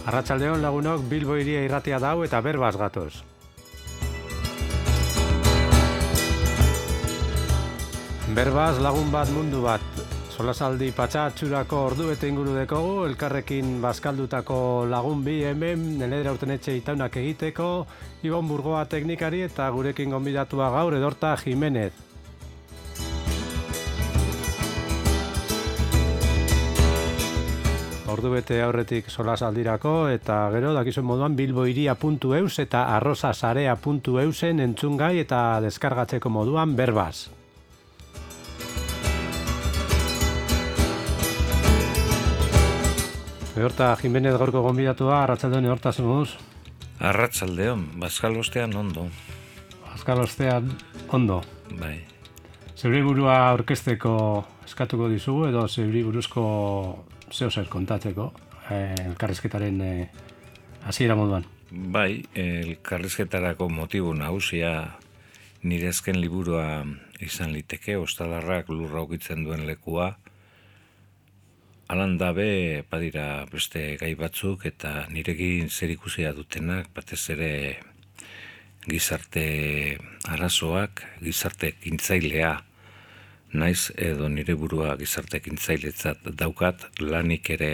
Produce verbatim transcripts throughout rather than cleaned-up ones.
Arratsaldeon lagunok, Bilbo hiria irratia dau eta berbaz gatoz. Berbaz lagun bat mundu bat. Solasaldi patxa atxurako ordu bete inguru dekogu, elkarrekin bazkaldutako lagun bi hemen, Neledra Urtenetxe itaunak egiteko, Ibon Burgoa teknikari eta gurekin gonbidatua gaur Edorta Jimenez. Ordu bete aurretik solasaldirako eta gero dakizuen moduan bilboiria puntu eus eta arrozasarea puntu eusen entzungai eta deskargatzeko moduan berbaz. Edorta Jimenez gaurko gonbidatua, arratsaldeon Edorta zemuz? Arratsaldeon, bazkalostean ondo. Bazkalostean ondo. Bai. Zeure burua aurkezteko eskatuko dizugu edo zeure buruzko zeo zer kontatzeko, eh, elkarrizketaren eh, hasiera moduan. Bai, elkarrizketarako motibu nagusia nire azken liburua izan liteke, Ostalarrak lurra ukitzen duen lekua. Alan dabe, badira beste gai batzuk eta nirekin zerikusia dutenak, batez ere gizarte arazoak, gizarte ekintzailea, naiz edo nire burua gizarte ekintzailetzat daukat, lanik ere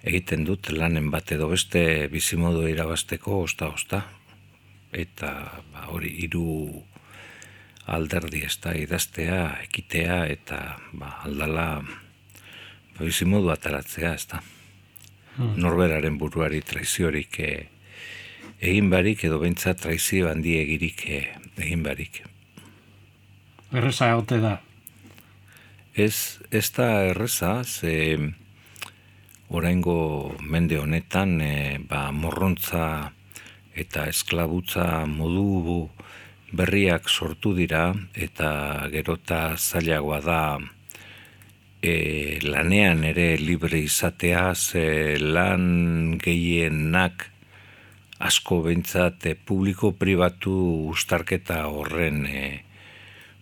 egiten dut lanen bat edo beste bizimodu irabazteko osta-osta. Eta ba, hori hiru alderdi ez da idaztea, ekitea eta ba, aldala bizimodu ataratzea ez da. Hmm. Norberaren buruari traiziorik eh, egin barik edo bentsa traizio handi egirik eh, egin barik. Erreza egote da? Ez, ez da erreza, ze oraingo mende honetan e, ba, morrontza eta esklabutza modu berriak sortu dira eta gerota zailagoa da e, lanean ere libre izatea, ze lan gehienak asko behintzat e, publiko-pribatu uztarketa horren e,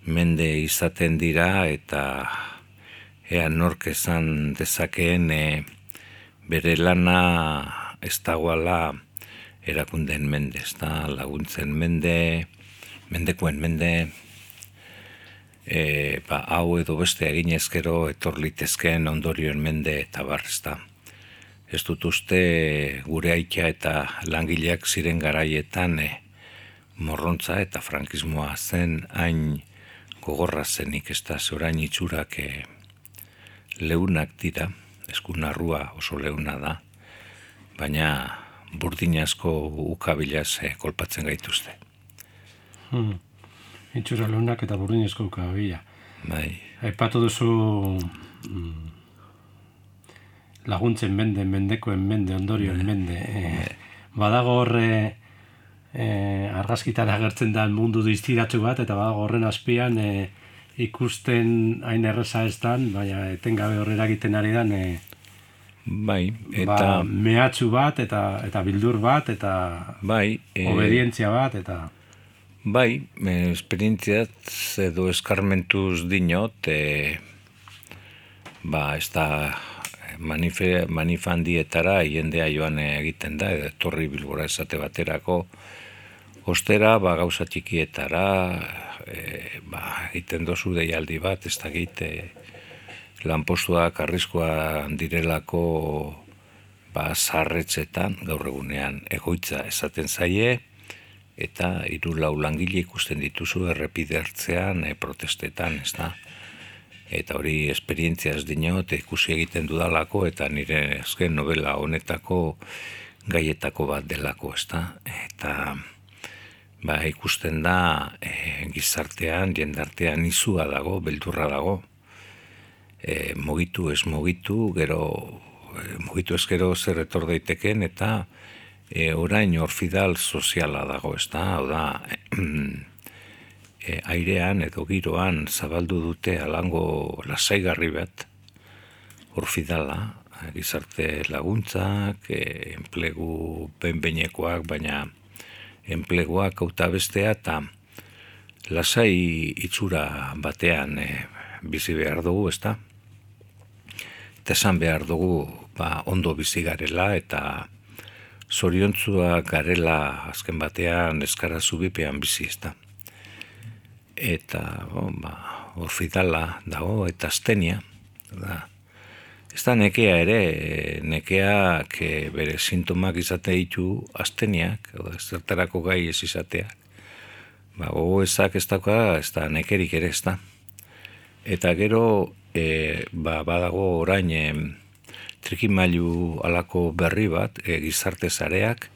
mende izaten dira eta ea nork esan dezakeen e, bere lana ez dagoala erakunden mende, ez da laguntzen mende, mendekoen mende, e, ba, hau edo beste egin ezkero etor litezkeen ondorioen mende eta bar, ez da. Ez dut uste gure aita eta langileak ziren garaietan e, morrontza eta frankismoa zen hain gogorra zenik, ez da, zorain itxurak e, leunak dira, eskunarrua oso leuna da, baina burdin asko ukabilaz e, kolpatzen gaituzte. Hmm. Itxura leunak eta burdin asko ukabila. Bai. Aipatu duzu mm, laguntzen mende, mendekoen mende, ondorioen mende. E, badago horre e, argazkitan agertzen da mundu diztiratsu bat, eta badago horren azpian e, ikusten hain erreza ez dan, baina etengabe horrera egiten ari dan, e, bai, eta ba, mehatxu bat, eta eta bildur bat, eta bai, e, obedientzia bat, eta bai, esperientziat edo eskarmentuz dinot, e, ba, ez da manife, manifandietara jendea joan egiten da, edo etorri Bilbora esate baterako, ostera, ba, gauza txikietara, e, ba, egiten dozu deialdi bat, ez da egite, lanpostuak arriskoa direlako ba, zarretzetan, gaur egunean egoitza esaten zaie, eta hiru lau langile ikusten dituzu errepide hartzean, e, protestetan, ez da. Eta hori esperientziaz dinot, ikusi egiten dudalako, eta nire azken novela honetako gaietako bat delako, ez da. Eta ba, ikusten da e, gizartean, jendartean izua dago, beldurra dago, e, mogitu ez mogitu, gero e, mogitu ez gero zer etor daiteken, eta e, orain orfidal soziala dago, ez da, hau da, e, airean edo giroan zabaldu dute alango lasaigarri bat, orfidala, gizarte laguntzak, e, enplegu behin-behinekoak, baina enpleguak auta bestea, eta lasai itxura batean e, bizi behar dugu, ez da? Eta esan behar dugu ba, ondo bizi garela eta zoriontzua garela azken batean eskara zubipean bizi ez da. Eta bon, ba, orfidala dago eta astenia. Da. Ez da nekea ere, nekeak bere sintomak izate ditu asteniak, zertarako gai ez izateak. Ba, gogo ezak ez dauka, ez da nekerik ere ez da. Eta gero, e, ba, badago orain e, trikimailu alako berri bat, e, gizarte zareak,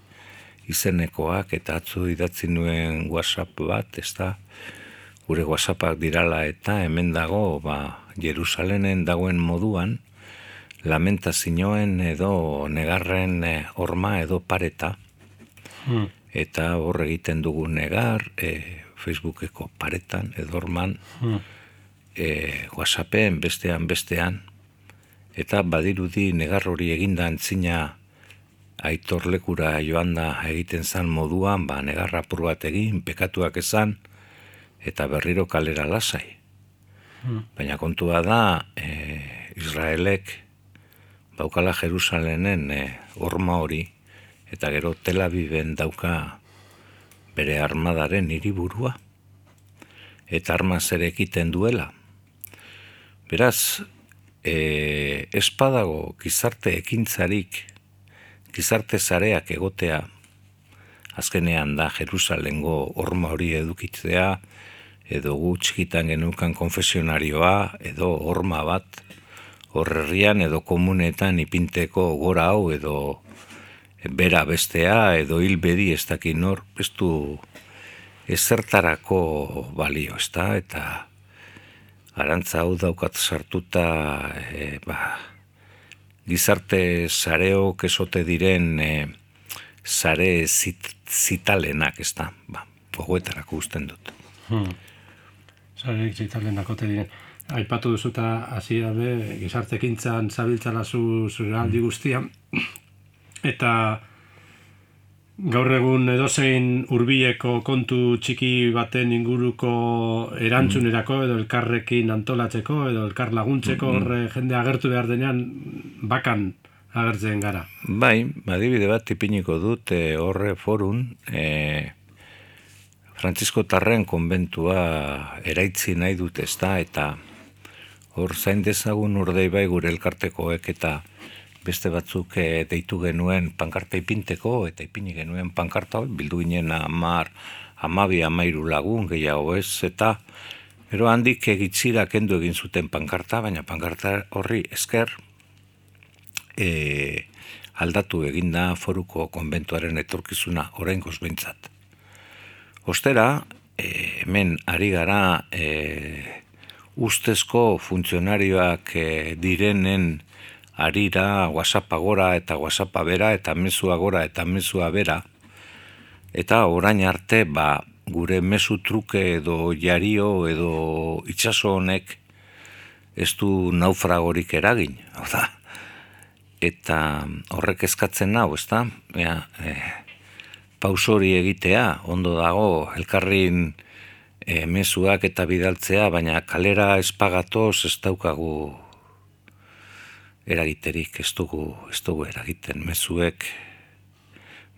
izenekoak, eta atzu idatzi nuen WhatsApp bat, ez da, gure WhatsAppak dirala eta hemen dago, ba, Jerusalenen dagoen moduan, lamentazioen edo negarren e, horma edo pareta, hmm. eta hor egiten dugu negar, e, Facebookeko paretan edo horman, hmm. E, WhatsAppen bestean bestean eta badirudi negar hori eginda antzina aitorlekura joan da egiten zan moduan, ba negarra apur bat egin, pekatuak esan eta berriro kalera lasai. Hmm. Baina kontua da e, Israelek baukala Jerusalenen e, horma hori eta gero Tel Aviven dauka bere armadaren hiriburua eta armaz ere ekiten duela. Beraz, e, espadago gizarte ekintzarik, gizarte zareak egotea, azkenean da Jerusalengo horma hori edukitzea, edo gu txikitan genukan konfesionarioa, edo horma bat, horrerrian edo komunetan ipinteko gora hau, edo bera bestea, edo hilbedi ez dakin hor, ez du ezertarako balio, ez da, eta arantza hau daukat sartuta e, ba, gizarte zareok esote diren e, zare zit, zitalenak, ez da, ba, gogoetarako usten dut. Hmm. Zare zitalenak ote diren. Aipatu duzuta hasi dabe, gizartekintzan zabiltzala zu zure aldi guztia, eta gaur egun edozein hurbileko kontu txiki baten inguruko erantzunerako edo elkarrekin antolatzeko edo elkar laguntzeko horre jende agertu behar denean bakan agertzen gara. Bai, adibide bat ipiniko dut e, horre forun e, Frantzisko Tarren konbentua eraitzi nahi dut ez da eta hor zain dezagun urdei bai gure elkartekoek eta beste batzuk e, deitu genuen pankarta ipinteko, eta ipini genuen pankarta, bildu ginen amar, amabi, amairu lagun, gehiago ez, eta gero handik egitzira kendu egin zuten pankarta, baina pankarta horri esker e, aldatu eginda foruko konbentuaren etorkizuna oraingoz behintzat. Ostera, e, hemen ari gara e, ustezko funtzionarioak e, direnen arira WhatsAppa gora eta WhatsAppa bera eta mezua gora eta mezua bera eta orain arte ba, gure mezu truke edo jario edo itsaso honek ez du naufragorik eragin, hau da. Eta horrek eskatzen nau, ezta? Ja, e, pausori egitea, ondo dago elkarrin e, mezuak eta bidaltzea, baina kalera espagatoz ez daukagu eragiterik, ez dugu, ez dugu eragiten mezuek,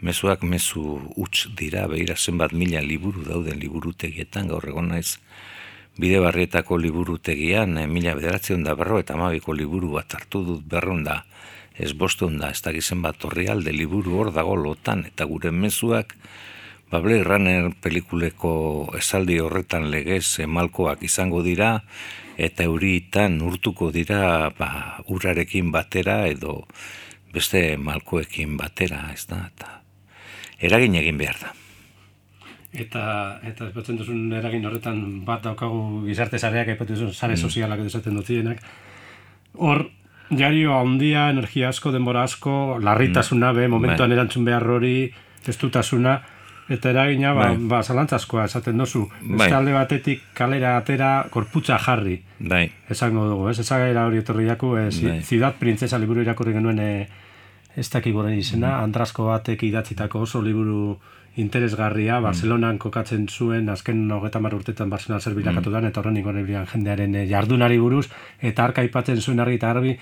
mezuak mezu huts dira, behira zenbat mila liburu dauden liburutegietan, gaur egon naiz bide barrietako liburutegian, e, mila bederatzen da berro eta amabiko liburu bat hartu dut berron da, ez bostun da, ez dakizen bat horri alde liburu hor dago lotan, eta gure mezuak, ba Blade Runner pelikuleko esaldi horretan legez malkoak izango dira, eta euritan urtuko dira ba, urarekin batera edo beste malkoekin batera, ez da, eta eragin egin behar da. Eta, eta espatzen duzun eragin horretan bat daukagu gizarte zareak, aipatu duzun sare sozialak edo esaten dutienak. Hor, jario handia, energia asko, denbora asko, larritasuna, be, momentuan erantzun behar hori, testutasuna, eta eragina, ba, ba zalantzazkoa esaten dozu. Beste alde batetik kalera atera, korputza jarri. Bai. Esango dugu, ez? Ezagaira hori etorri jaku, e, Ciudad Princesa liburu irakurri genuen e, ez dakikoren izena, mm. Andrasko batek idatzitako oso liburu interesgarria, Barcelonan kokatzen zuen, azken hogeita hamar urtetan Barcelona zer bilakatu mm. dan, eta horren ingoren jendearen e, jardunari buruz, eta arka aipatzen zuen argi eta garbi,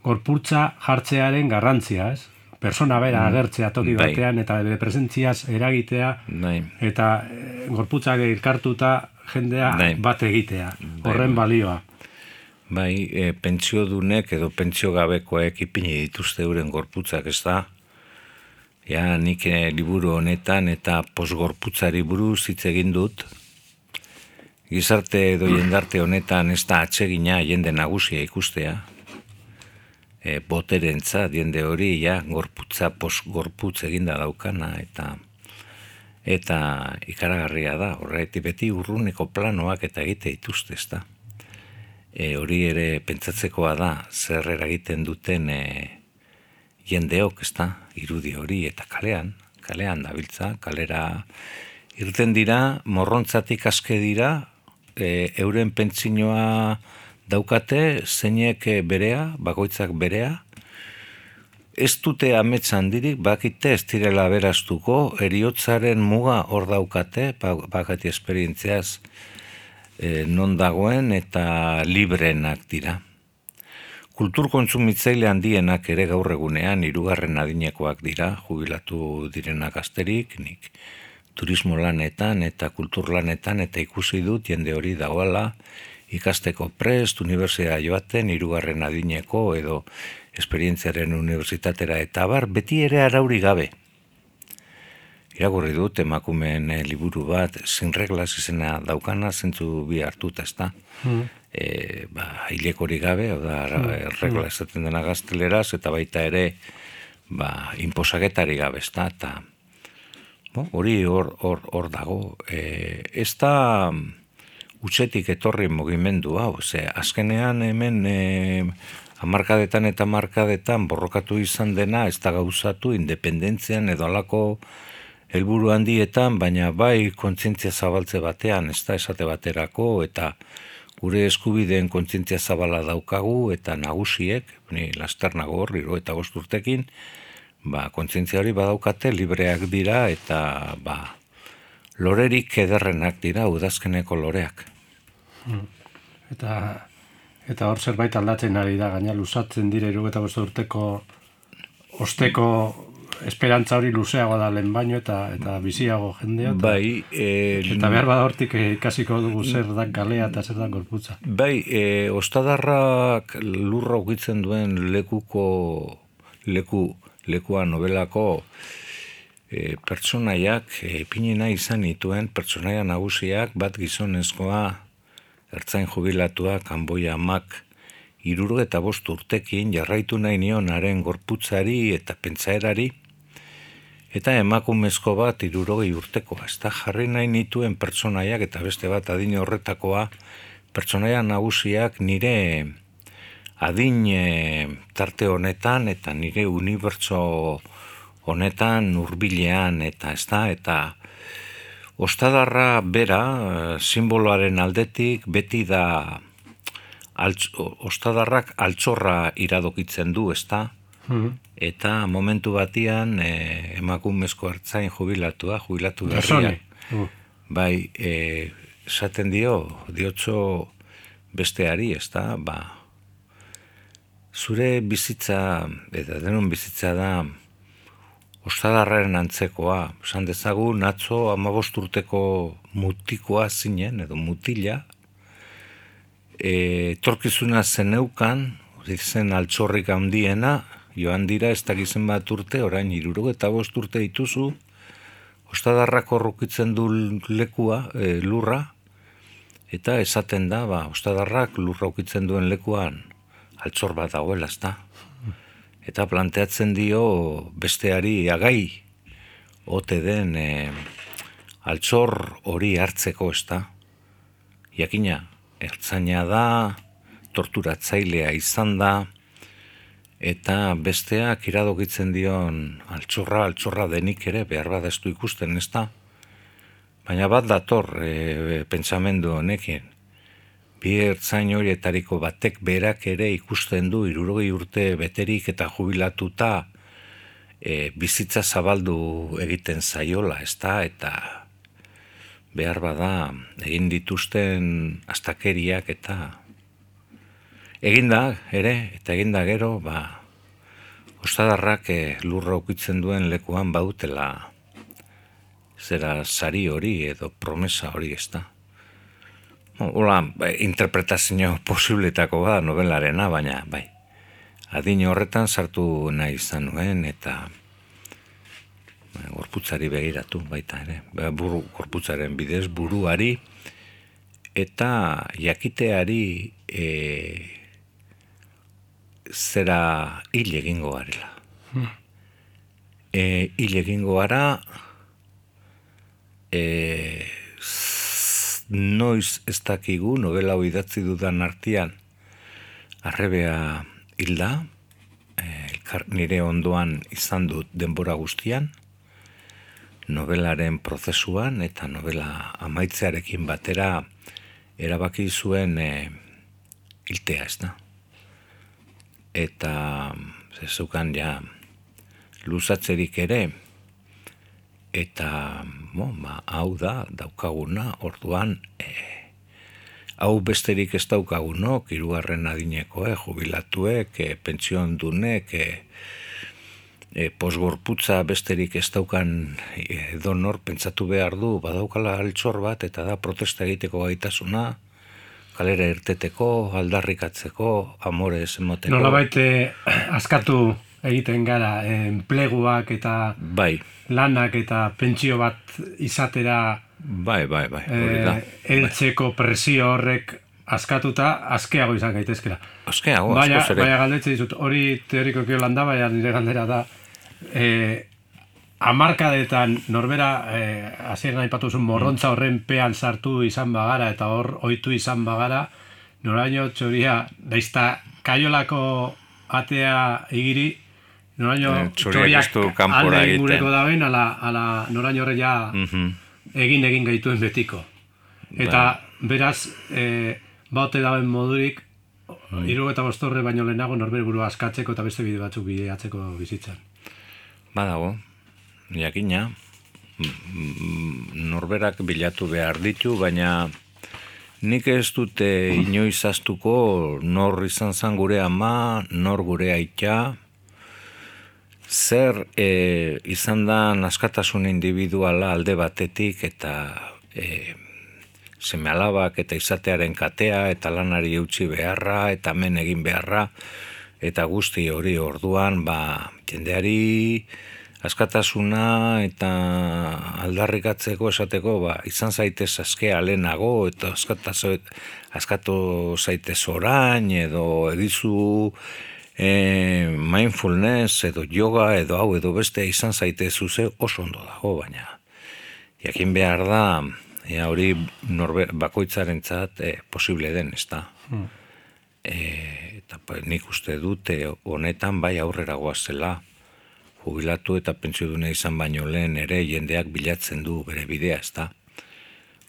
gorputza jartzearen garrantzia, ez? Persona bera agertzea toki bai. batean eta bere presentziaz eragitea bai. eta e, gorputzak elkartuta jendea bai. bat egitea, horren bai. balioa. Bai, e, pentsiodunek edo pentsio gabekoek ipini dituzte euren gorputzak, ez da? Ja, nik e, liburu honetan eta posgorputzari buruz hitz egin dut. Gizarte edo jendarte honetan ez da atsegina jende nagusia ikustea. E, boterentza, jende hori, ja, gorputza, posgorputz eginda daukana, eta eta ikaragarria da, horretik beti urruneko planoak eta egite dituzte, ez da. E, hori ere pentsatzekoa da, zer eragiten duten e, jendeok, ez da, irudi hori, eta kalean, kalean dabiltza, kalera irten dira, morrontzatik aske dira, e, euren pentsinoa daukate, zeinek berea, bakoitzak berea, ez dute amets handirik, bakite ez direla beraztuko, eriotzaren muga hor daukate, bakati esperientziaz e, non dagoen eta librenak dira. Kultur kontsumitzaile handienak ere gaur egunean hirugarren adinekoak dira, jubilatu direnak asterik, nik turismo lanetan eta kultur lanetan eta ikusi dut jende hori dagoela, ikasteko prest, unibertsitatera joaten, hirugarren adineko edo esperientziaren unibertsitatera eta bar, beti ere arauri gabe. Irakurri dut emakumeen e, liburu bat, sin reglas izena daukana, zentzu bi hartuta, ez da. Mm. E, ba, hilekorik gabe, oda, mm. regla esaten dena gazteleraz, eta baita ere, ba, inposaketari gabe, ez da, eta bo, hori hor, hor, hor dago. E, ez da utxetik etorri mugimendu hau, ze azkenean hemen e, hamarkadetan eta hamarkadetan borrokatu izan dena, ez da gauzatu independentzian edo alako helburu handietan, baina bai kontzientzia zabaltze batean, ez da esate baterako, eta gure eskubideen kontzientzia zabala daukagu, eta nagusiek, ni lasternago hor, hiru eta bost urtekin, ba, kontzientzia hori badaukate, libreak dira, eta ba, lorerik ederrenak dira, udazkeneko loreak. Eta, eta hor zerbait aldatzen ari da, gaina luzatzen dire hiru eta bost urteko osteko esperantza hori luzeago da lehen baino eta eta biziago jendea. Eta, bai, e, eta behar bada hortik ikasiko dugu zer da galea eta zer da gorputza. Bai, e, ostadarrak lurra ukitzen duen lekuko, leku, lekua nobelako e, pertsonaiak, e, pinina izan dituen pertsonaia nagusiak, bat gizonezkoa, ertzain jubilatua, kanboia amak, hiruro eta bost urtekin jarraitu nahi nion haren gorputzari eta pentsaerari, eta emakumezko bat hirurogei urtekoa. Ez da jarri nahi nituen pertsonaiak eta beste bat adin horretakoa, pertsonaia nagusiak nire adin e, tarte honetan eta nire unibertso honetan hurbilean eta ez da, eta ostadarra bera, simboloaren aldetik, beti da altz, ostadarrak altxorra iradokitzen du, ez da? Mm-hmm. Eta momentu batian e, emakumezko ertzain jubilatua, jubilatu berria. Mm. Bai, e, esaten dio, diotso besteari, ez da? Ba, zure bizitza, eta denon bizitza da, ostadarraren antzekoa, esan dezagun, atzo hamabost urteko mutikoa zinen, edo mutila, e, torkizuna zeneukan, zen altxorrik handiena, joan dira ez dakizen bat urte, orain hirurogeita eta bost urte dituzu, ostadarrak horrukitzen du lekua, e, lurra, eta esaten da, ba, ostadarrak lurra ukitzen duen lekuan, altxor bat dagoela, ez da. Eta planteatzen dio besteari agai ote den e, altxor hori hartzeko, ez da. Jakina, ertzaina da, torturatzailea izan da, eta besteak iradokitzen dion altxorra, altxorra denik ere, behar bada ez du ikusten, ez da. Baina bat dator e, pentsamendu honekin. Bi ertzain horietariko batek berak ere ikusten du hirurogei urte beterik eta jubilatuta e, bizitza zabaldu egiten zaiola, ez da, eta behar bada egin dituzten astakeriak eta eginda ere, eta eginda gero, ba, ostadarrak eh, lurra ukitzen duen lekuan bautela zera sari hori edo promesa hori, ez da. Hola, interpretazio posibletako da novelarena, baina, bai, adin horretan sartu nahi izan nuen, eta gorputzari begiratu baita ere, buru, gorputzaren bidez buruari, eta jakiteari e, zera hil egingo garela. Hmm. E, hil egingo gara, e, noiz ez dakigu novela hau idatzi dudan artean arrebea hilda, e, nire ondoan izan dut denbora guztian, novelaren prozesuan eta novela amaitzearekin batera erabaki zuen e, hiltea, ez da. Eta zeukan ja luzatzerik ere, eta bo, ba, hau da, daukaguna, orduan, e, hau besterik ez daukagunok, hirugarren adineko, e, jubilatuek, e, pentsion dunek, e, e, posgorputza besterik ez daukan e, donor pentsatu behar du, badaukala altxor bat, eta da protesta egiteko gaitasuna, kalera irteteko, aldarrikatzeko, amore esemoteko. Nola baite askatu egiten gara, enpleguak eta bai. Lanak eta pentsio bat izatera bai, bai, bai, hori da. E, eltzeko presio horrek askatuta, askeago izan gaitezkera. Askeago, baina, asko zere. Baina galdetze dizut, hori teoriko kiolan da, baina nire galdera da, e, amarkadetan norbera, e, hasieran aipatu zuen morrontza horren pean sartu izan bagara, eta hor ohitu izan bagara, noraino txoria, daizta kaiolako atea igiri, noraino eh, txoriak alde ingureko daben, ala, ala noraino horre ja mm-hmm. egin egin gaituen betiko. Eta ba. Beraz, e, baute daben modurik, mm. hiru eta bostorre baino lehenago norbere burua askatzeko eta beste bide batzuk bideatzeko bizitzan. Badago, jakina, norberak bilatu behar ditu, baina nik ez dute inoiz astuko nor izan zan gure ama, nor gure aita, zer e, izan da askatasun individuala alde batetik eta e, seme alabak eta izatearen katea eta lanari eutxi beharra eta men egin beharra eta guzti hori orduan ba, jendeari askatasuna eta aldarrikatzeko esateko ba, izan zaitez askea lehenago eta askatu zaitez orain edo egizu E, mindfulness edo yoga edo hau edo beste izan zaite zuze oso ondo dago, baina jakin behar da ea hori norber, bakoitzarentzat e, posible den, ez da. Hmm. E, eta nik uste dute honetan bai aurrera goazela, jubilatu eta pentsiodune izan baino lehen ere jendeak bilatzen du bere bidea, ez da.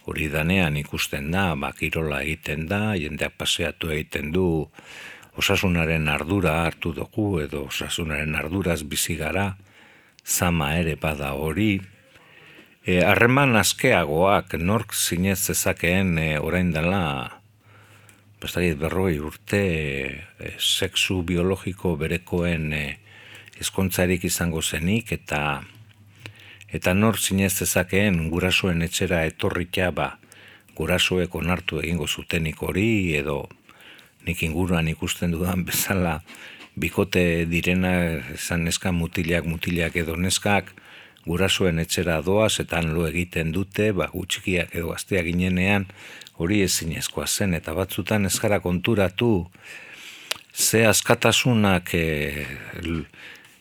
Hori danean ikusten da, bakirola egiten da, jendeak paseatu egiten du, osasunaren ardura hartu dugu edo osasunaren arduraz bizi gara, zama ere bada hori. E, harreman askeagoak nork zinez zezakeen e, orain dela, bestakit berroi urte, e, sexu biologiko berekoen e, ezkontzarik izango zenik, eta eta nork zinez zezakeen gurasoen etxera etorrikia ba, gurasoek onartu egingo zutenik hori edo nik inguruan ikusten dudan bezala bikote direna esan neska mutilak, mutilak edo neskak gurasoen etxera doaz eta lo egiten dute, ba, gutxikiak edo gazteak ginenean hori ezinezkoa zen eta batzutan ez gara konturatu ze askatasunak e,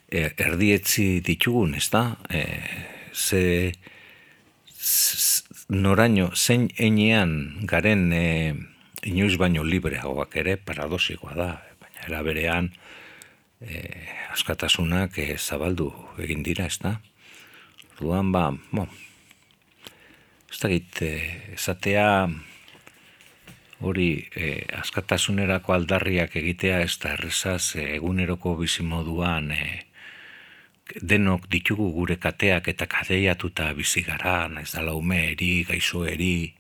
e, erdietzi ditugun, ez da? E, ze, z, noraino, zein enean garen e, inoiz baino libreagoak ere paradosikoa da, baina era berean e, askatasunak e, zabaldu egin dira, ez da? Orduan ba, bo, ez dakit, e, esatea hori e, askatasunerako aldarriak egitea ez da errezaz e, eguneroko bizimoduan e, denok ditugu gure kateak eta kadeiatuta bizi gara, naiz dala ume eri, gaixo eri,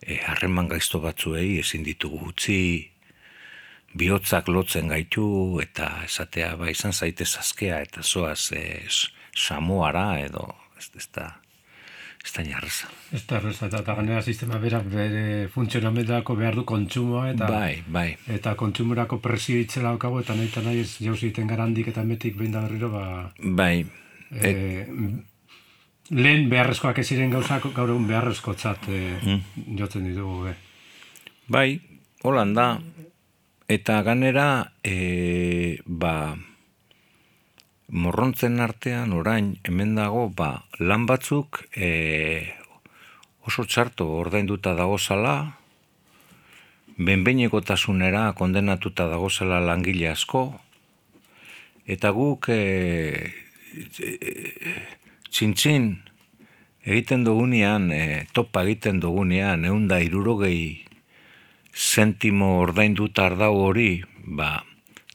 harreman e, gaizto batzuei ezin ditugu utzi, bihotzak lotzen gaitu, eta esatea, ba, izan zaitez azkea, eta zoaz e, Samoara, edo, ez, ez da, ez da jarreza. Ez da jarreza, eta ganera sistema berak bere funtzionamentarako behar du kontsumoa, eta bai, bai. Eta kontsumorako presio itzela daukagu, eta nahi eta nahi ez jauzi egiten gara handik eta metik behin da berriro, ba... Bai. E, lehen beharrezkoak ez ziren gauzak, gaur egun beharrezkotzat e, mm. jotzen ditugu, be. Bai, holan da, eta ganera, e, ba, morrontzen artean orain hemen dago, ba, lan batzuk e, oso txarto ordainduta dagozala, benbeinekotasunera kondenatuta dagozala langile asko, eta guk e, e, txintxin egiten dugunean, e, topa egiten dugunean, ehun da hirurogei zentimo ordainduta ardau hori, ba,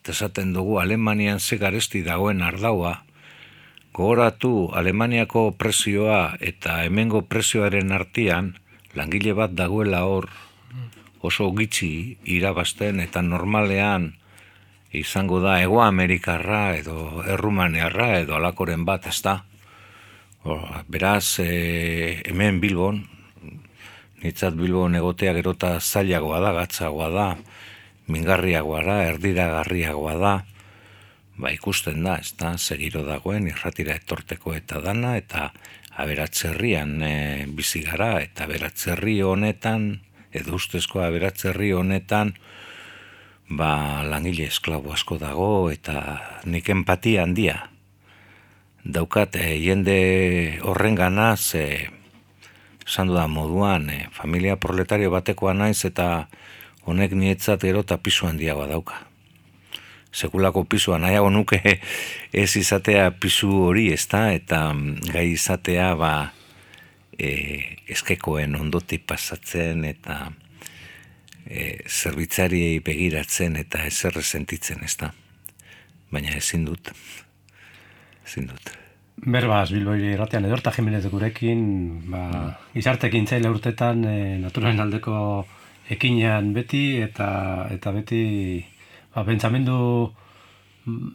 esaten dugu Alemanian ze garesti dagoen ardaua, gogoratu Alemaniako prezioa eta hemengo prezioaren artean langile bat dagoela hor oso gitxi irabazten, eta normalean izango da Hego Amerikarra edo Errumaniarra edo alakoren bat, ez da. Beraz, e, hemen Bilbon, nitzat Bilbon egotea gerota zailagoa da, gatzagoa da, mingarriagoa da, erdiragarriagoa da, ba ikusten da, ez da, segiro dagoen, irratira etorteko eta dana, eta aberatzerrian e, bizi gara, eta aberatzerri honetan, edo ustezko aberatzerri honetan, ba langile esklabo asko dago, eta nik empatia handia. Daukat, e, jende horren ganaz, e, esan dudan moduan, e, familia proletario batekoa naiz, eta honek nietzat gero eta pisu handiagoa dauka. Sekulako pisua nahiago nuke ez izatea pisu hori, ez da, eta gai izatea ba e, eskekoen ondotik pasatzen, eta e, zerbitzariei begiratzen, eta ezer sentitzen, ez da. Baina ezin dut. Ezin dut. Berbaz, Bilboiri irratean Edorta Jimenez gurekin, ba, izartekin zaila urtetan e, naturalen aldeko ekinean beti, eta eta beti ba, pentsamendu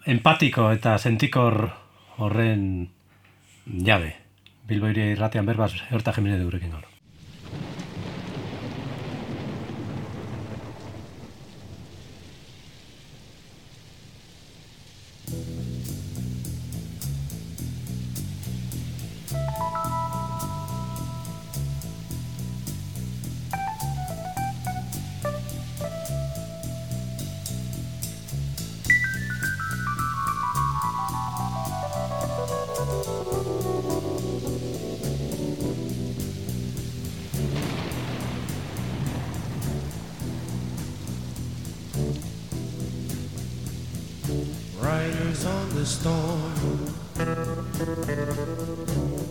empatiko eta sentikor horren jabe. Bilboiri irratean Berbaz, Edorta Jimenez gurekin gaur. Riders on the storm,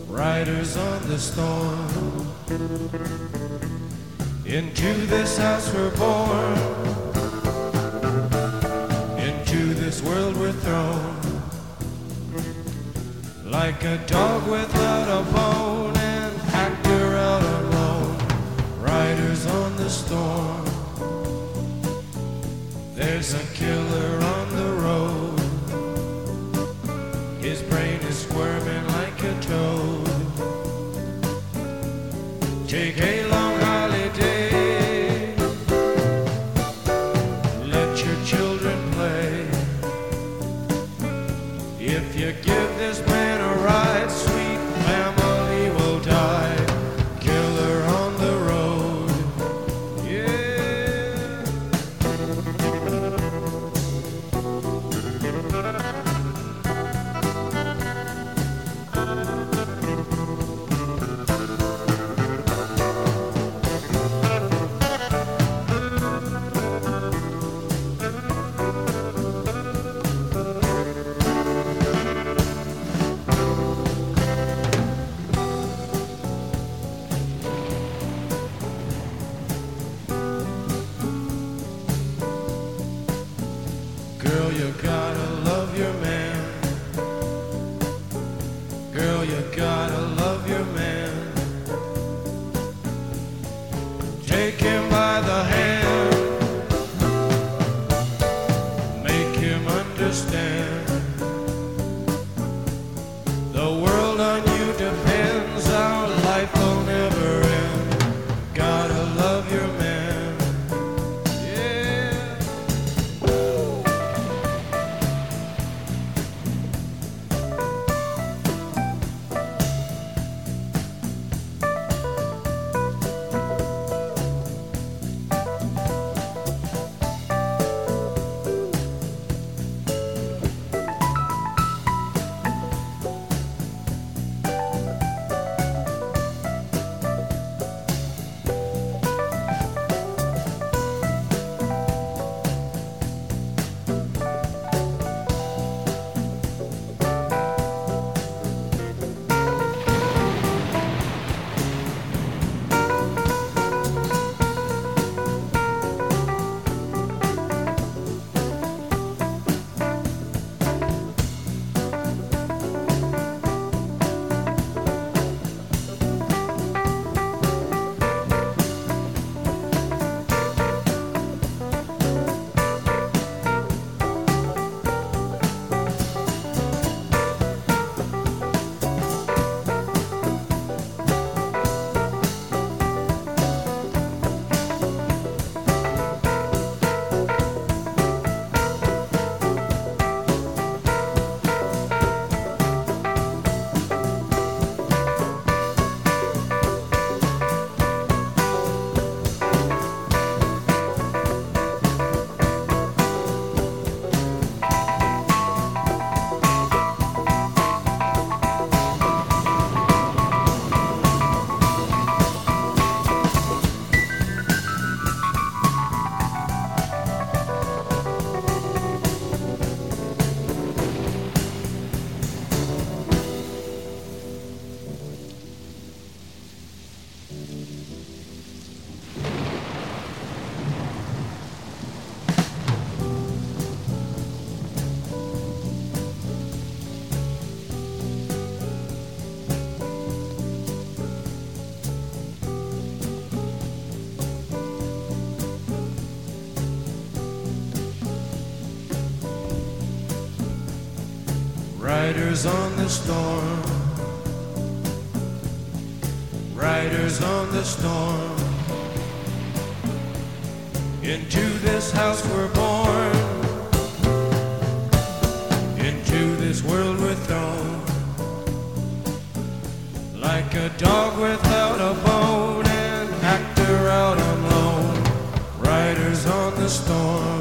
riders on the storm, into this house we're born, into this world we're thrown, like a dog without a bone, an actor out alone. Riders on the storm, there's a killer on the road. His brain is squirming like a toad. Take a long holiday, let your children play. If you give this man a ride, sweet family will die. Killer on the road, yeah. Girl, you gotta love your man. Girl, you gotta love your man. Take him by the hand, The world on you depends, our life will never end. Gotta love your man, yeah. Riders on the storm, riders on the storm. Into this house we're born, into this world we're thrown. Like a dog without a bone, an actor out on loan. Riders on the storm.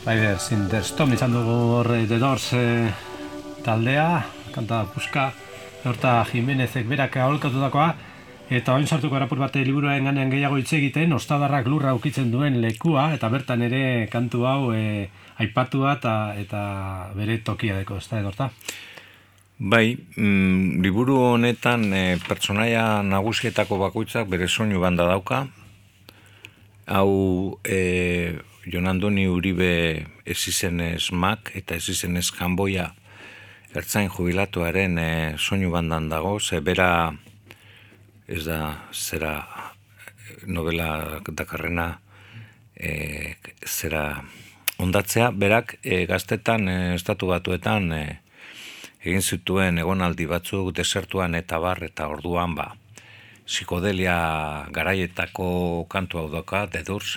Riders in the Storm izan dugu horre The Doors eh, taldea, kanta puska, horta Jimenezek berak aholkatutakoa, eta oin sartuko erapur bate liburuaren ganean gehiago hitz egiten, ostadarrak lurra ukitzen duen lekua, eta bertan ere kantu hau eh, aipatua eta, eta bere tokia deko, ez da edorta? Bai, mm, liburu honetan e, pertsonaia nagusietako bakoitzak bere soinu banda dauka. Hau e, Jon Andoni Uribe Ezizenez Mak eta Ezizenez Janboia ertzain jubilatuaren e, soinu bandan dago, ze bera ez da zera novela dakarrena e, zera ondatzea, berak e, gaztetan e, estatu batuetan e, egin zituen egonaldi batzuk desertuan eta bar, eta orduan ba psikodelia garaietako kantu hau doka, The Doors,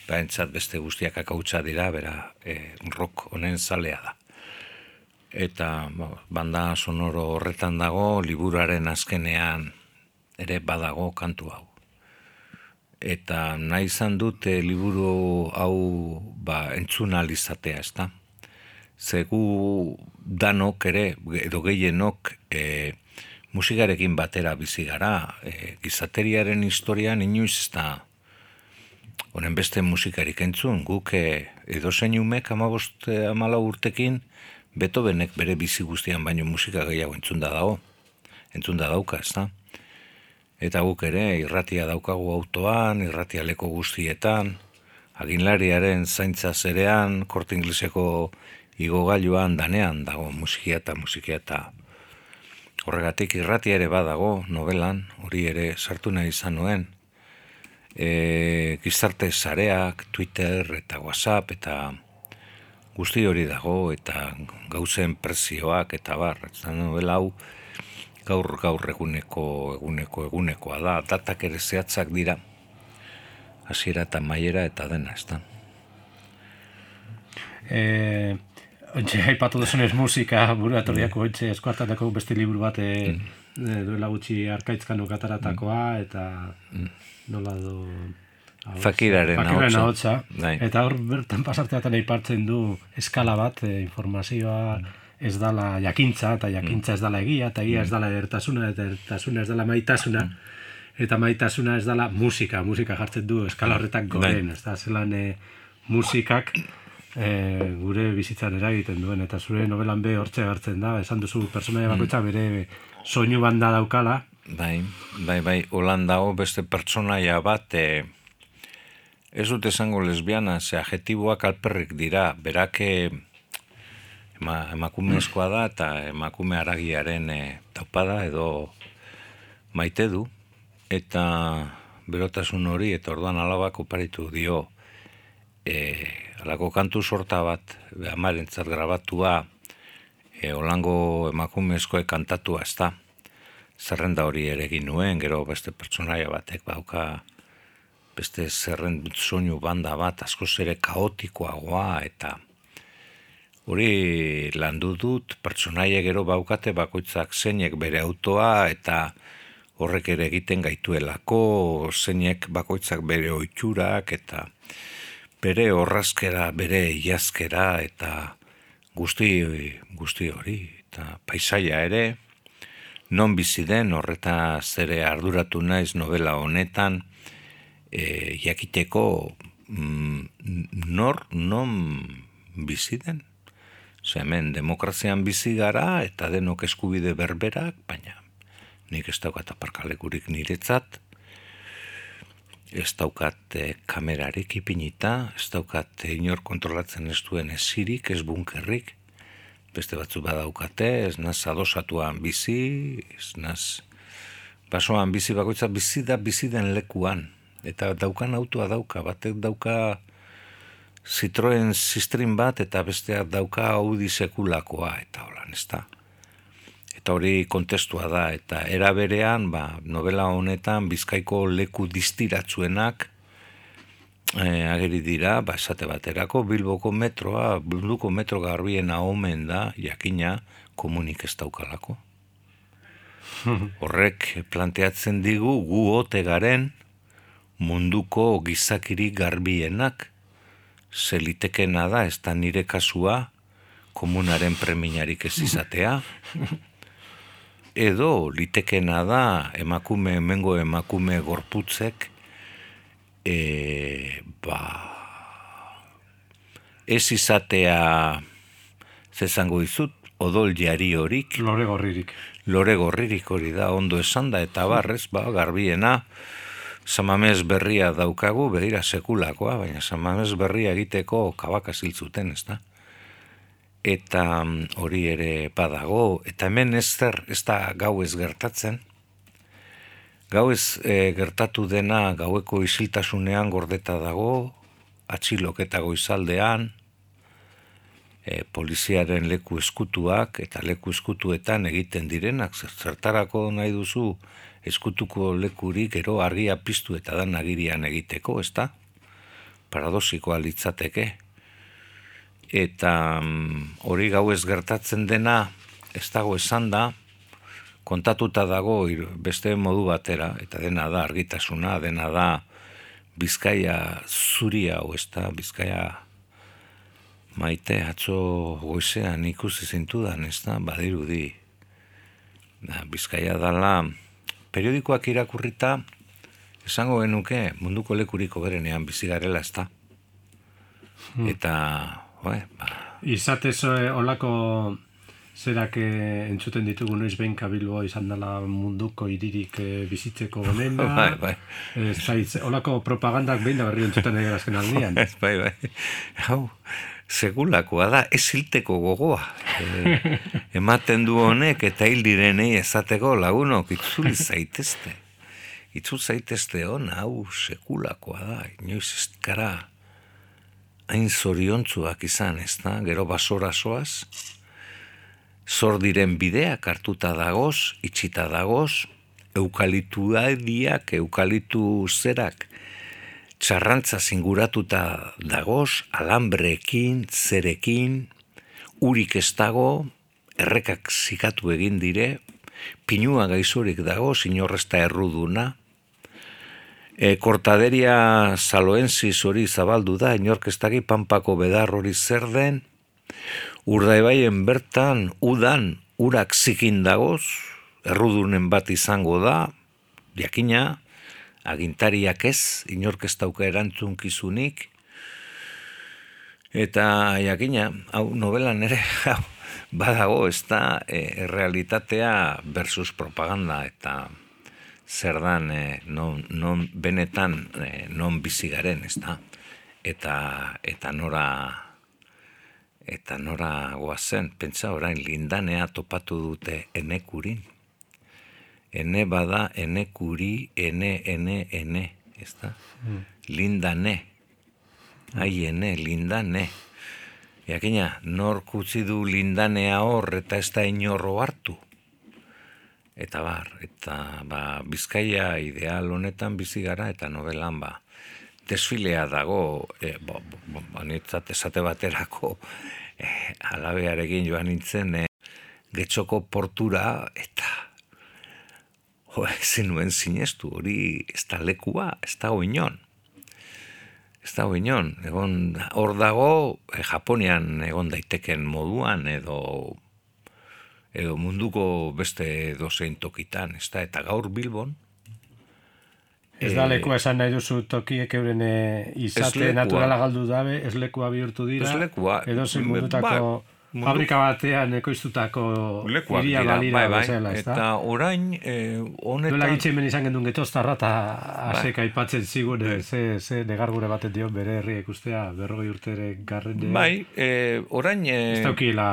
behintzat beste guztiak akautza dira, bera e, rock honen zalea da. eta banda sonoro horretan dago, liburuaren azkenean ere badago kantu hau. Eta nahi izan dute liburu hau ba, entzun alizatea, ez da? Zegu danok ere, edo gehienok, e, musikarekin batera bizi gara. E, gizateriaren historian inoiz ez da honen beste musikarik entzun. Guk e, edo zein umek amabost amala urtekin Beethovenek bere bizi guztian baino musika gehiago entzun da dago. Entzun da dauka, ez da? Eta guk ere irratia daukagu autoan, irratia leko guztietan, aginlariaren zaintza zerean, Korte Ingleseko igogailuan danean dago musikia eta musikia eta horregatik irratia ere badago novelan, hori ere sartu nahi izan nuen. E, gizarte sareak, Twitter eta WhatsApp eta guzti hori dago eta gauzen prezioak eta bar, eta novela hau gaur gaur eguneko eguneko egunekoa da, datak ere zehatzak dira, hasiera eta maiera eta dena, ez da. Eh, ontxe, aipatu duzunez musika, buratoriako ontxe, eskuartatako beste liburu bat e, mm. duela gutxi Arkaitzkanok ataratakoa, eta nola do... Fakiraren ahotsa. Eta hor bertan pasarteatan aipartzen du eskala bat, e, informazioa ez dala jakintza, eta jakintza ez dala egia, eta egia ez dala edertasuna, eta edertasuna ez dala maitasuna, eta maitasuna ez dala musika, musika jartzen du eskala horretak goren, ez da, zelan e, musikak e, gure bizitzan eragiten duen, eta zure novelan be hortxe hartzen da, esan duzu pertsonaia bakoitza bere soinu banda daukala. Bai, bai, bai, holan dago beste pertsonaia bat, e, ez dut esango lesbiana, ze adjetiboak alperrik dira, berake ema, emakumezkoa da eta emakume haragiaren e, taupada edo maite du, eta berotasun hori, eta orduan alabak oparitu dio, e, alako kantu sorta bat, amarentzat grabatua, e, olango emakumezkoek kantatua ez da, zerrenda hori ere egin nuen, gero beste pertsonaia batek bauka, beste zerren soinu banda bat, askoz ere kaotikoagoa, eta hori landu dut, pertsonaia gero baukate bakoitzak zeinek bere autoa, eta horrek ere egiten gaituelako, zeinek bakoitzak bere oiturak, eta bere horrazkera, bere iazkera, eta guzti, guzti hori, eta paisaia ere, non bizi den, horreta zere arduratu naiz novela honetan, E, jakiteko mm, nor, non bizi den. Zer, hemen demokrazian bizi gara eta denok eskubide berberak, baina nik ez daukat aparkalekurik niretzat, ez daukat e, kamerarik ipinita, ez daukat e, inor kontrolatzen ez duen esirik, ez bunkerrik, beste batzu badaukate, ez naz adosatuan bizi, ez naz basoan bizi bakoitza bizi da bizi den lekuan. Eta daukan autoa dauka, batek dauka Citroen Sistrin bat, eta besteak dauka Audi sekulakoa, eta holan, ez da. Eta hori kontestua da, eta era berean, ba, novela honetan, Bizkaiko leku distiratzuenak e, ageri dira, ba, esate baterako, Bilboko metroa, Bilboko metro garbiena omen da, jakina, komunik ez daukalako. Horrek planteatzen digu, gu ote garen, munduko gizakiri garbienak, ze litekena da, ez da nire kasua, komunaren preminarik ez izatea, edo litekena da, emakume, hemengo emakume gorputzek, e, ba, ez izatea, zezango izut, odol jari horik, lore gorririk. Lore gorririk hori da, ondo esan da, eta barrez, ba, garbiena, Samamez berria daukagu, begira sekulakoa, baina samamez berria egiteko kabaka ziltzuten, ez da? Eta hori ere badago, eta hemen ez zer, ez da gau ez gertatzen. Gau ez e, gertatu dena gaueko isiltasunean gordeta dago, atxiloketa goizaldean, e, poliziaren leku eskutuak, eta leku eskutuetan egiten direnak, zertarako nahi duzu, eskutuko lekurik gero argia piztu eta dan agirian egiteko, ez da? Paradoxikoa litzateke. eta hori gau ez gertatzen dena, ez dago esan da, kontatuta dago beste modu batera, eta dena da argitasuna, dena da Bizkaia zuria, hau ez da, Bizkaia maite, atzo goizean ikusi zintudan, ez da, badirudi. Bizkaia dala, periodikoak irakurrita, esango genuke munduko lekuriko berenean bizi garela, ez da. Hmm. Eta, oe, ba... Izatez olako zerak entzuten ditugu noiz behin Bilbo izan dela munduko hiririk bizitzeko onena. Bai, bai. Ez zaiz, olako propagandak behin da berri entzuten egin azken aldian. Bai, bai. Hau, segulakoa da, ez hilteko gogoa. E, ematen du honek eta hil direnei ezateko lagunok itzuli zaitezte. Itzul zaitezte hona, hau, segulakoa da. Inoiz ez gara hain zoriontzuak izan, ez da? Gero basora soaz. Zor diren bideak hartuta dagoz, itxita dagoz, eukalituadiak, eukalitu zerak, txarrantza zinguratuta dagoz, alambreekin, zerekin, urik ez dago, errekak zikatu egin dire, pinua gaizurik dago, inorrezta erruduna, e, kortaderia saloenziz hori zabaldu da, inorkestagi panpako bedar hori zer den, Urdaibaien bertan, udan, urak zikin dagoz, errudunen bat izango da, jakina, agintariak ez, inork ez dauka erantzunkizunik, eta jakina, hau novelan ere, hau, badago ez da, e, realitatea versus propaganda, eta zer dan, e, non, non benetan, e, non bizigaren, ez da, eta, eta nora... Eta nora goazen, pentsa orain lindanea topatu dute enekurin. Ene bada enekuri, ene, ene, ene, ez da? Mm. Lindane. Ai, ene, lindane. Jakina, nor kutsi du lindanea hor eta ez da inorro hartu. Eta bar, eta ba, Bizkaia ideal honetan bizi gara eta novelan ba. Desfilea dago, e, bo, bo, bo, nitzat esate baterako, e, alabearekin joan nintzen, e, Getxoko portura, eta jo, ezin nuen sinestu, hori ez da lekua, ez da oinon. Ez da oinon, egon, hor dago, e, Japonian egon daiteken moduan, edo, edo munduko beste dozein tokitan, ez da, eta gaur Bilbon, ez da lekua esan nahi duzu tokiek euren izate naturala galdu dabe, ez lekua bihurtu dira, edo zein mundutako mundu... fabrika batean ekoiztutako iria balira bai, bai. bezala, ez da? Eta orain, eh, honetan... Duela gitxen ben izan gendun getoztarra, eta azeka aipatzen zigun, bai. ze, ze negargure baten dion bere herria ikustea, berrogei urtere garren... Bai, eh, orain... Eh... Ez daukiela...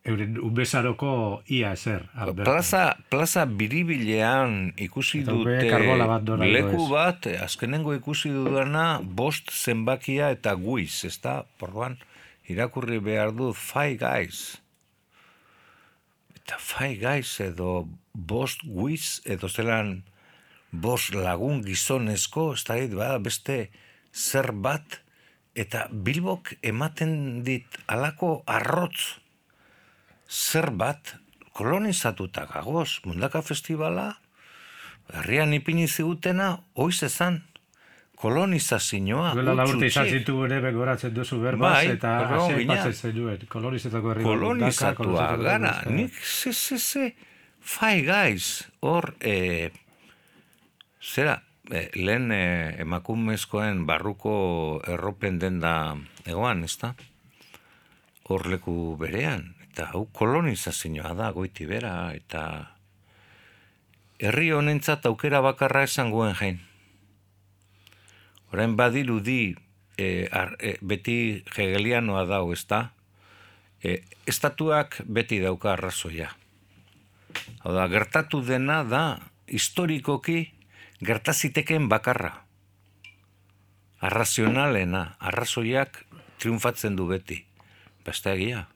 euren ubezaroko ia ezer. Plaza, plaza biribilean ikusi dute bat leku bat, azkenengo ikusi dudana, bost zenbakia eta guiz, ez da? Porruan, irakurri behar du Five Guys. Eta Five Guys edo bost guiz, edo zelan bost lagun gizonezko, ez da, bada beste zer bat, eta Bilbok ematen dit alako arrotz, zer bat kolonizatuta gagoz, Mundaka Festivala, herrian ipini zigutena, oiz ezan, kolonizazioa. Duela laburte izan zitu ere begoratzen duzu berbaz, bai, eta hasi aipatzen zenuen, kolonizatuko herri. Kolonizatua gara, nik ze, ze, ze, Five Guys, hor, e, zera, e, lehen e, emakumezkoen barruko erropen denda egoan, ez da? Hor leku berean. Eta hau kolonizazioa da, goiti bera, eta herri honentzat aukera bakarra esangoen jain. Orain badirudi e, ar, e, beti hegelianoa dau, ez da? E, estatuak beti dauka arrazoia. Hau da, gertatu dena da, historikoki gertaziteken bakarra. Arrazionalena, arrazoiak triunfatzen du beti. Beste egia.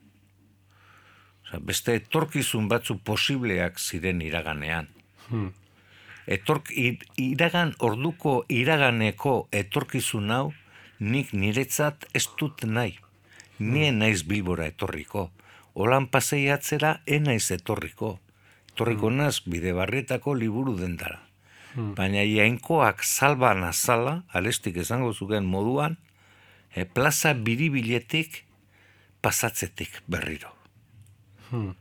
Beste etorkizun batzu posibleak ziren iraganean. Hmm. Etork, iragan, orduko iraganeko etorkizun hau nik niretzat ez dut nahi. nien naiz Bilbora etorriko. Olan paseiatzera enaiz etorriko. Etorriko naz bide barrietako liburu dendara. Baina jainkoak salban azala, alestik esango zuken moduan, e, plaza biribiletik pasatzetik berriro. Hmm.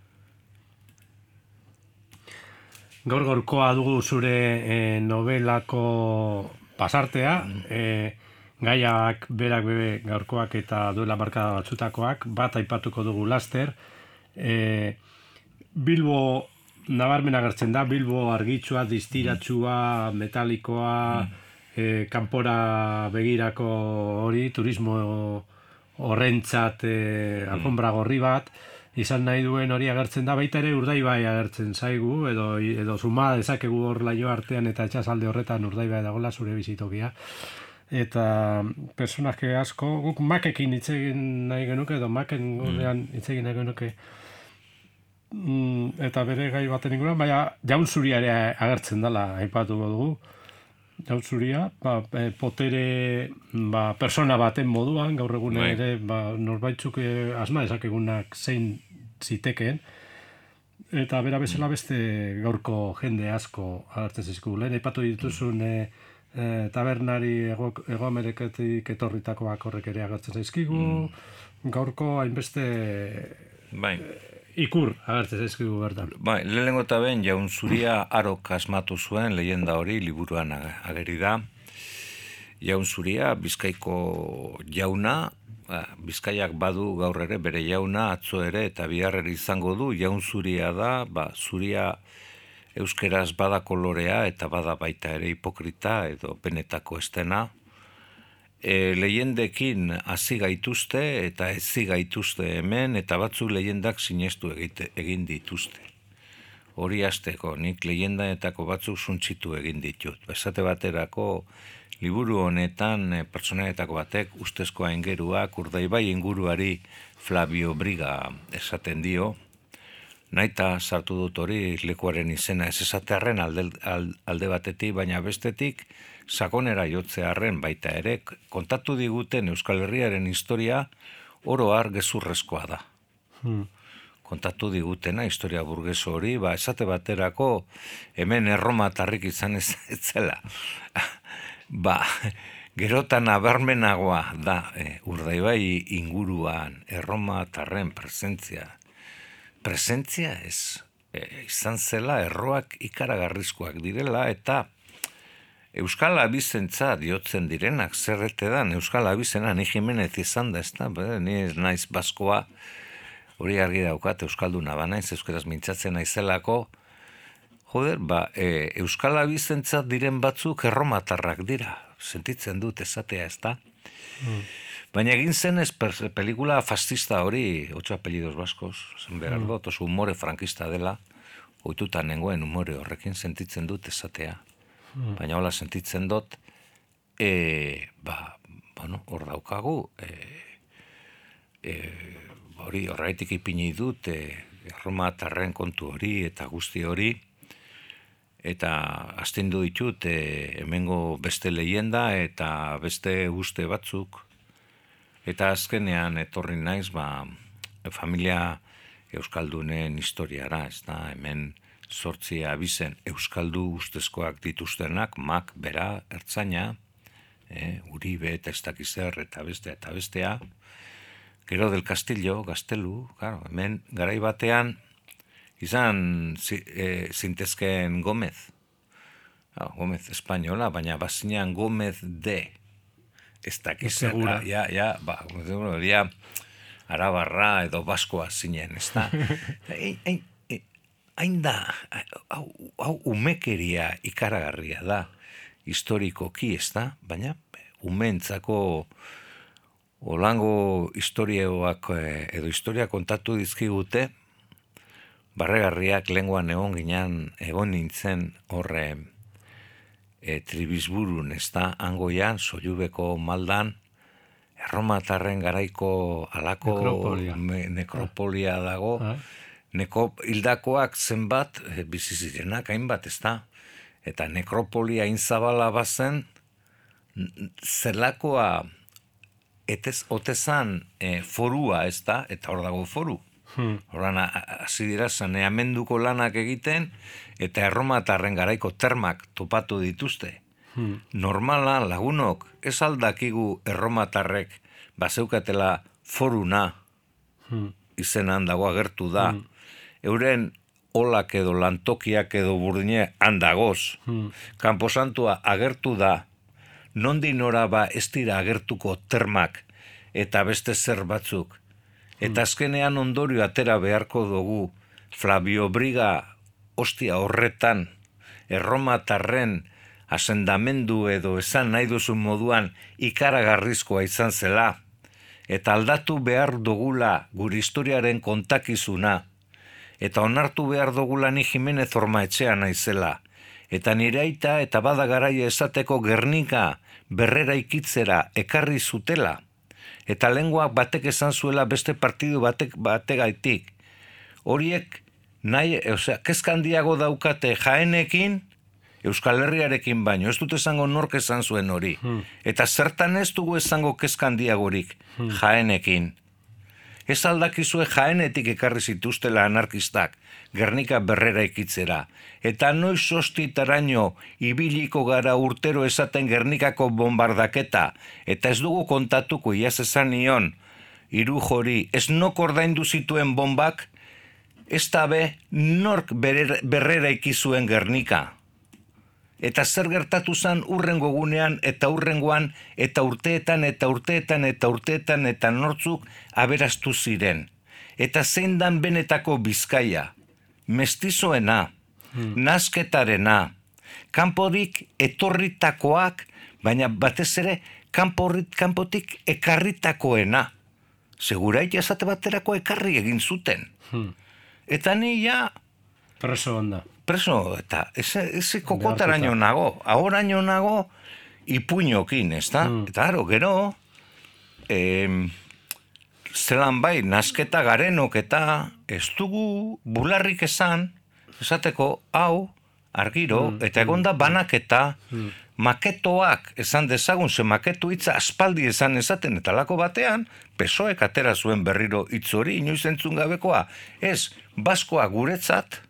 Gaur gaurkoa dugu zure e, novelako pasartea, e, gaiak berak bebe gaurkoak eta duela markada batzutakoak, bat aipatuko dugu laster. E, Bilbo nabarmen agertzen da, Bilbo argitsua, distiratsua, metalikoa, mm. e, kanpora begirako hori, turismo horrentzat e, alfombra gorri bat, izan nahi duen hori agertzen da, baita ere Urdaibai agertzen zaigu, edo, edo zuma dezakegu hor laio artean eta etxasalde horretan Urdaibai dagoela zure bizitokia. Eta personaje asko, guk Makekin hitz egin nahi genuke, edo Maken gorrean hitz egin nahi genuke, mm, eta bere gai baten inguruan, baina Jaun Zuria ere agertzen dela aipatuko dugu. Jaun Zuria, ba, potere ba, persona baten moduan, gaur egun ere ba, norbaitzuk asma dezakegunak zein zitekeen, eta bera bezala beste gaurko jende asko agertzen zizkugu. Lehen aipatu dituzun e, e, tabernari ego, ego Ameriketik etorritakoak horrek ere agertzen zaizkigu, mm. gaurko hainbeste bai. ikur agertzen zaizkigu bertan. Bai, lehenengo eta ben Jaun Zuria arok asmatu zuen leyenda hori liburuan ageri da. Jaun Zuria Bizkaiko jauna, ba, Bizkaiak badu gaur ere bere jauna, atzo ere eta bihar ere izango du. Jaun Zuria da, ba, Zuria euskeraz bada kolorea eta bada baita ere hipokrita edo benetako estena. E, leyendekin hasi gaituzte eta ezi gaituzte hemen, eta batzuk leyendak sinestu egite, egin dituzte. Hori hasteko, nik leyendaetako batzuk suntzitu egin ditut. Esate baterako, liburu honetan e, pertsonaetako batek ustezko aingeruak Urdaibai inguruari Flavio Briga esaten dio. Naita sartu dut hori lekuaren izena ez esatearren alde, alde batetik, baina bestetik sakonera jotzearren baita ere, kontatu diguten Euskal Herriaren historia oro har gezurrezkoa da. Hmm. Kontatu digutena historia burgeso hori, ba, esate baterako hemen erromatarrik izan ez zela. Ba, gerotan abarmenagoa da e, Urdaibai inguruan erromatarren presentzia. Presentzia ez, e, izan zela erroak ikaragarrizkoak direla eta Euskal Abizentza diotzen direnak, zerrete dan, Euskal Abizena ni Jimenez izan da, ez da, ni naiz baskoa, hori argi daukat, Euskalduna banaiz, euskeraz mintzatzen naizelako, joder, ba, e, Euskal Abizentza diren batzuk erromatarrak dira, sentitzen dut esatea, ez da? Mm. Baina egin zen ez pelikula fascista hori, Ocho apellidos baskos, zen behar mm. dut, oso humore frankista dela, ohitutan nengoen humore horrekin sentitzen dut esatea. Baina hola sentitzen dut, e, ba, bueno, hor daukagu, e, e, hori horretik ipini dut, e, erromatarren kontu hori eta guzti hori, eta astindu ditut e, hemengo beste leyenda eta beste guzti batzuk, eta azkenean etorri naiz, ba, familia euskaldunen historiara, ez da, hemen sortzi abizen euskaldu ustezkoak dituztenak, Mak, bera, ertzaina, e, Uribe eta ez dakizer eta bestea eta bestea, gero del Castillo, Gaztelu, claro, hemen garai batean izan e, zintezken Gomez, ah, Gomez espainola, baina bazinean Gomez de, ez dakizer, ja, ja, ba, ja, arabarra edo baskoa zinen, ez da, ein, hain da, hau, hau umekeria ikaragarria da, historikoki ez da, baina umentzako olango historioak edo historia kontatu dizkigute, barregarriak lenguan egon ginen, egon nintzen horre e, tribizburun ez da, angoian, Sollubeko maldan, erromatarren garaiko alako nekropolia, me, nekropolia dago, ah. Neko hildakoak zenbat, e, bizizirenak hainbat, ez da? Eta nekropolia inzabala bazen, zelakoa etez, otezan e, forua ez da, eta hor dago foru. Hmm. Horan, hasi dira saneamenduko lanak egiten, eta erromatarren garaiko termak topatu dituzte. Hmm. Normala, lagunok, ez aldakigu erromatarrek bazeukatela foruna, hmm. izenan dago agertu da. Hmm. Euren olak edo lantokiak edo burdine handagoz. Hmm. Kanposantua agertu da, nondi nora ba ez dira agertuko termak eta beste zer batzuk. Eta azkenean ondorio atera beharko dugu Flavio Briga ostia horretan erromatarren asendamendu edo esan nahi duzun moduan ikaragarrizkoa izan zela. Eta aldatu behar dugula gure historiaren kontakizuna. Eta onartu behar dugula ni Jimenez Ormaetxea naizela. Eta nire aita eta bada garaia esateko Gernika berrera ikitzera ekarri zutela. Eta lenguak batek esan zuela beste partidu batek bategaitik. Horiek nahi, osea, kezkandiago daukate Jaenekin, Euskal Herriarekin baino, ez dut esango nork esan zuen hori. Hmm. Eta zertan ez dugu esango kezkandiagorik hmm. Jaenekin. Ez aldakizue Jaenetik ekarri zituztela anarkistak, Gernika berrera ikitzera. Eta noiz ostitaraino ibiliko gara urtero esaten Gernikako bombardaketa, eta ez dugu kontatuko iaz esan nion, hiru jori, ez nok ordaindu zituen bombak, ez tabe nork berrera ikizuen Gernika. Eta zer gertatu zen urrengo gunean eta urrengoan eta urteetan eta urteetan eta urteetan eta nortzuk aberastu ziren. Eta zein dan benetako Bizkaia, mestizoena, hmm. nasketarena, kanporik etorritakoak, baina batez ere kanporit, kanpotik ekarritakoena. Segurait esate baterako ekarri egin zuten. Hmm. Eta ni ja... Preso onda. Preso, eta ese, ese kokotaraino nago, ahoraino nago ipuñokin, ez da? Mm. Eta aro, gero, eh, zelan bai, nasketa garenok eta ez dugu bularrik esan, esateko, hau, argiro, mm. eta egonda banaketa, mm. maketoak esan dezagun, ze maketu hitza aspaldi esan esaten, eta lako batean, pesoek atera zuen berriro hitz hori, inoiz entzun gabekoa, ez, baskoa guretzat,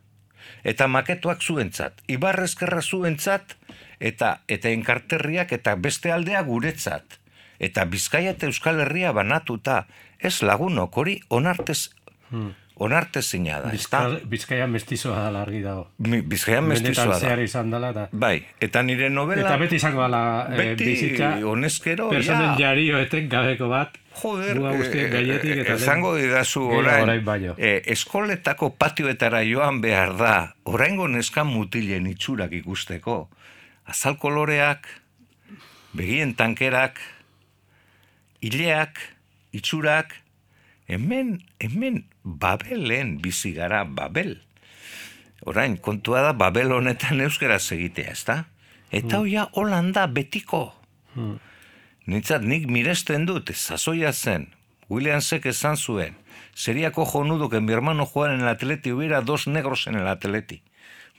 eta maketoak zuentzat, Ibarrezkerra zuentzat, eta eta enkarterriak eta beste aldea guretzat. Eta Bizkaia eta Euskal Herria banatuta, ez lagunok hori onartez, hmm. onartezina da. Bizka, Bizkaia mestizoa da argi dago. Bizkaia mestizoa da. Zehar izan dela da. Bai, eta nire novela... Eta beti izango dela eh, bizitza... Beti honezkero, ja... Personen jarioetek gabeko bat... Joder, eh, esango didazu orain, orain eh, eskoletako patioetara joan behar da, oraingo neskan mutilen itxurak ikusteko. Azal koloreak, begien tankerak, hileak, itxurak, hemen, hemen Babelen bizi gara, Babel. Orain, kontua da Babel honetan euskaraz egitea, ezta? Eta hoia mm. Holanda betiko. Mm. Nintzat, nik miresten dut, sasoia zen, Williamsek esan zuen, seriako jonudo que mi hermano jugar en el Atleti, hubiera dos negros en el Atleti.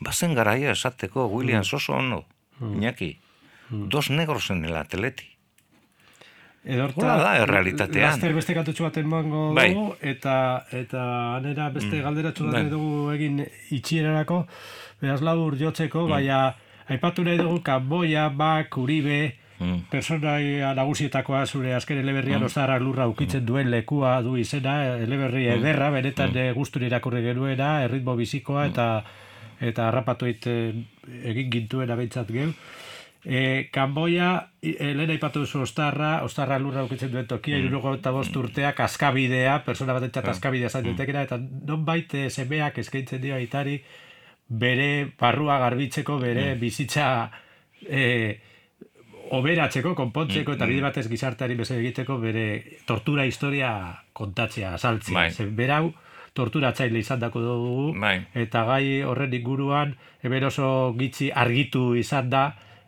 Bazen garaia esateko, Williams oso ono, mm. Iñaki, mm. dos negros en el Atleti. Edorta, hola da, errealitatean. Laster beste katutxu baten mango bai. dugu, eta, eta anera beste mm. galderatxu bai. dugu egin itxierarako, beraz labur jotzeko, mm. baina aipatu nahi dugu Kanboia, Bak, Uribe, Mm. personaia nagusietakoa zure azken eleberrian mm. Ozarra lurra ukitzen duen lekua du izena, eleberri ederra, benetan mm. gusturi irakurri genuena, erritmo bizikoa eta eta harrapatuit egin gintuena behintzat geu. E, Kanboia, lehen aipatu duzu Oztarra, Ozarra lurra ukitzen duen tokia, mm. hirurogeita bost urteak askabidea, persona batentzat askabidea zan dutekena, eta nonbait semeak eskaintzen dio aitari bere barrua garbitzeko, bere mm. bizitza... E, oberatzeko, konpontzeko, eta bide batez gizarteari bezala egiteko bere tortura historia kontatzea, azaltzea. Bai. Berau, torturatzaile izan dako dugu, bai. Eta gai horren inguruan, hemen oso gitzi argitu izan da,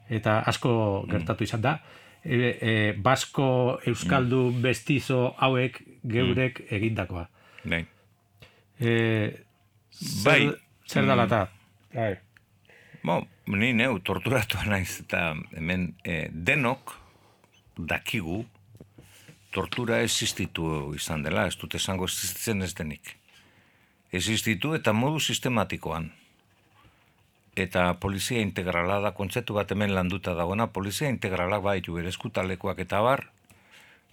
eta asko gertatu izan da. E, e, Basko, Euskaldu, mm. Bestizo hauek geurek mm. egindakoa. Bai. E, zer, bai. Zer da lata? Bai. Bo, ni neu torturatua naiz eta hemen eh, denok dakigu tortura existitu izan dela, ez dut esango existitzen ez denik. Existitu eta modu sistematikoan. Eta polizia integrala da, kontzeptu bat hemen landuta dagoena, polizia integralak baitu bere eskutalekuak eta bar,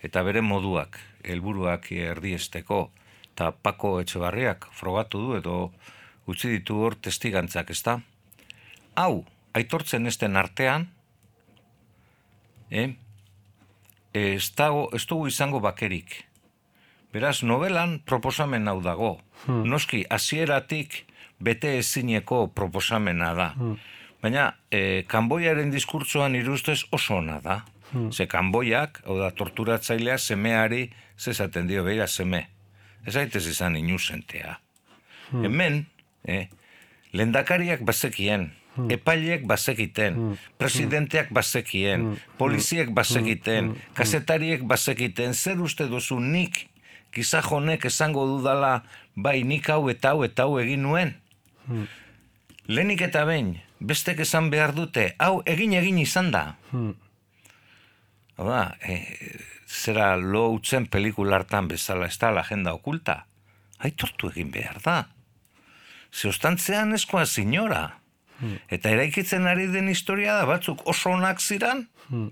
eta bere moduak, helburuak erdiesteko, eta Pako Etxebarriak frogatu du edo utzi ditu hor testigantzak, ezta? Hau, aitortzen esten artean, eh? ez, dago, ez dugu izango bakerik. Beraz, novelan proposamen hau dago. Hmm. Noski, hasieratik bete ezineko proposamena da. Hmm. Baina, e, Kanboiaren diskurtsoan irustez oso ona da. Hmm. Ze Kanboiak, hau da, torturatzailea semeari zezaten dio, beira seme. Ez aitez izan inusentea. Hmm. Hemen, eh, lehendakariak bazekien, hmm. epaileek bazekiten, hmm. presidenteak bazekien, hmm. poliziek bazekiten, hmm. kazetariek bazekiten, zer uste duzu nik, gizajonek esango dudala, bai nik hau eta hau eta hau egin nuen. Hmm. Lehenik eta behin, bestek esan behar dute, hau egin egin izan da. Hmm. Hau e, zera lo utzen pelikulartan bezala, ez da la agenda okulta. Aitortu egin behar da. Zeostantzean eskoa sinora. Hmm. Eta eraikitzen ari den historia da, batzuk oso onak ziran, hmm.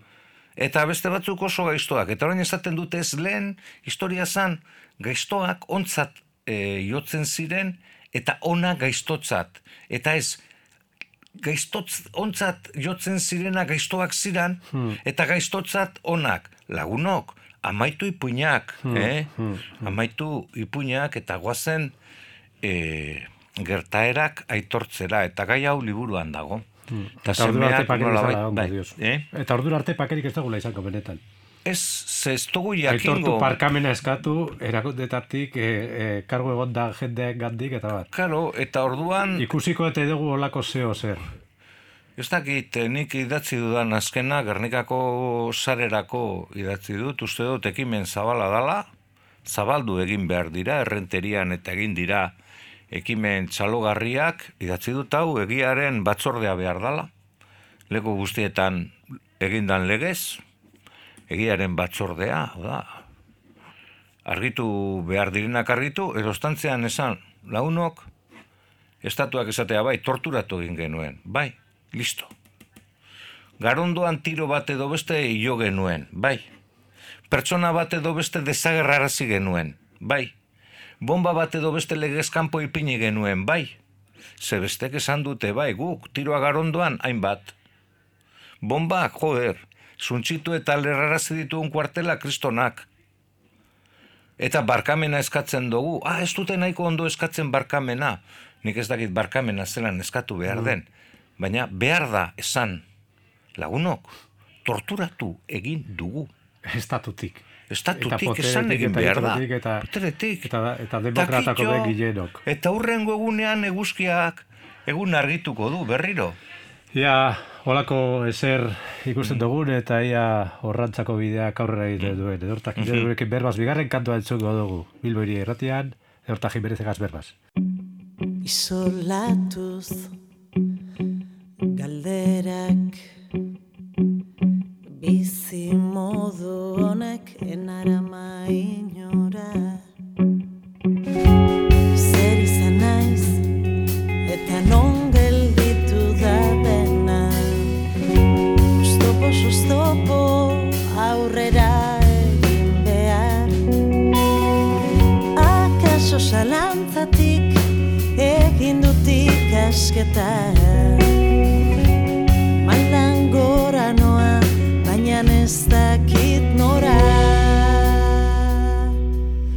eta beste batzuk oso gaiztoak. Eta orain esaten dute ez lehen, historia zan, gaiztoak ontzat e, jotzen ziren, eta ona gaiztotzat. Eta ez, gaiztotz, ontzat jotzen zirena gaiztoak ziran, hmm. eta gaiztotzat onak. Lagunok, amaitu ipuinak, hmm. eh? Hmm. Amaitu ipuinak, eta guazen e, gertaerak aitortzera, eta gai hau liburuan dago. Hmm. Eta ordura arte pakerik ez dago, eh? Eta ordura arte pakerik ez dagoela izango benetan. Ez, ez dugu jakingo... Aitortu parkamena eskatu, erakundetatik, e, e, kargo egon da jendeak gandik, eta bat. Karo, eta orduan... Ikusiko eta dugu olako zeo zer. Ez dakit, nik idatzi dudan azkena, Gernikako sarerako idatzi dut, uste dut ekimen zabala dala, zabaldu egin behar dira, errenterian eta egin dira ekimen txalogarriak, idatzi dut hau, egiaren batzordea behar dala, leku guztietan egindan legez, egiaren batzordea, da, argitu behar direnak argitu, erostantzean esan, launok, estatuak esatea bai, torturatu egin genuen, bai, listo. Garondoan tiro bat edo beste hilo genuen, bai. Pertsona bat edo beste desagerrarazi genuen, bai. Bomba bat edo beste legezkanpo ipini genuen, bai. Ze bestek esan dute, bai, guk, tiroa garondoan, hainbat. Bomba, joder, zuntzitu eta lerrarazi dituen kuartela kristonak. Eta barkamena eskatzen dugu. Ah, ez dute nahiko ondo eskatzen barkamena. Nik ez dakit barkamena zelan eskatu behar den. Baina behar da esan, lagunok, torturatu egin dugu. Estatutik. Estatutik esan egin behar da. Eta, Poteretik. Eta, eta demokratako begilenok. Eta hurrengo egunean eguzkiak egun argituko du berriro. Ia, holako ezer ikusten dugun eta ia horrantzako bideak aurrera egiten duen. Edortak mm-hmm. berbaz, bigarren kantua entzuko dugu. Bilboiri erratian, edortak jimerezegaz berbaz. Isolatuz galderak bizi modu honek enarama inora. Zer izan naiz eta non gelditu da dena. Oztopo, oztopo aurrera egin behar. Akaso zalantzatik egin dut ikasketa. Maldan gora noa, baina ez dakit nora.